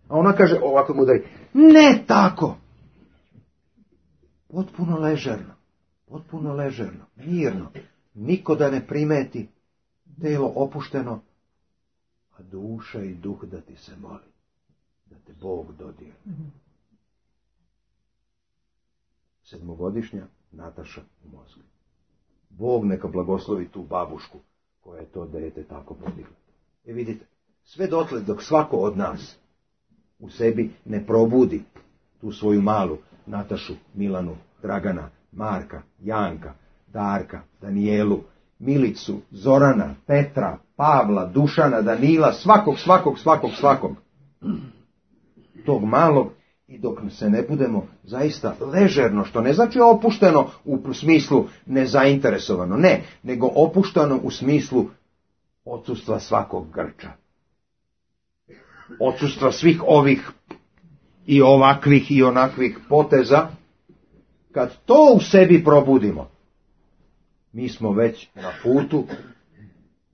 A ona kaže, ovako mu daj, ne tako. Potpuno ležerno, potpuno ležerno, mirno. Niko da ne primeti, telo opušteno, a duša i duh da ti se moli, da te Bog dodirne. Sedmogodišnja Nataša u Moskvi. Bog neka blagoslovi tu babušku koja je to dete tako podigla. E vidite, sve dotle dok svako od nas u sebi ne probudi tu svoju malu Natašu, Milanu, Dragana, Marka, Janka, Darka, Danijelu, Milicu, Zorana, Petra, Pavla, Dušana, Danila, svakog, svakog, svakog, svakog. Tog malog, i dok se ne budemo zaista ležerno, što ne znači opušteno u smislu nezainteresovano, ne, nego opušteno u smislu odsustva svakog grča. Odsustva svih ovih i ovakvih i onakvih poteza. Kad to u sebi probudimo, mi smo već na putu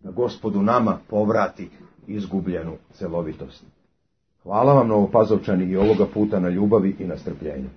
da Gospodu nama povrati izgubljenu celovitost. Hvala vam, Novopazovčani, i ovoga puta na ljubavi i na strpljenju.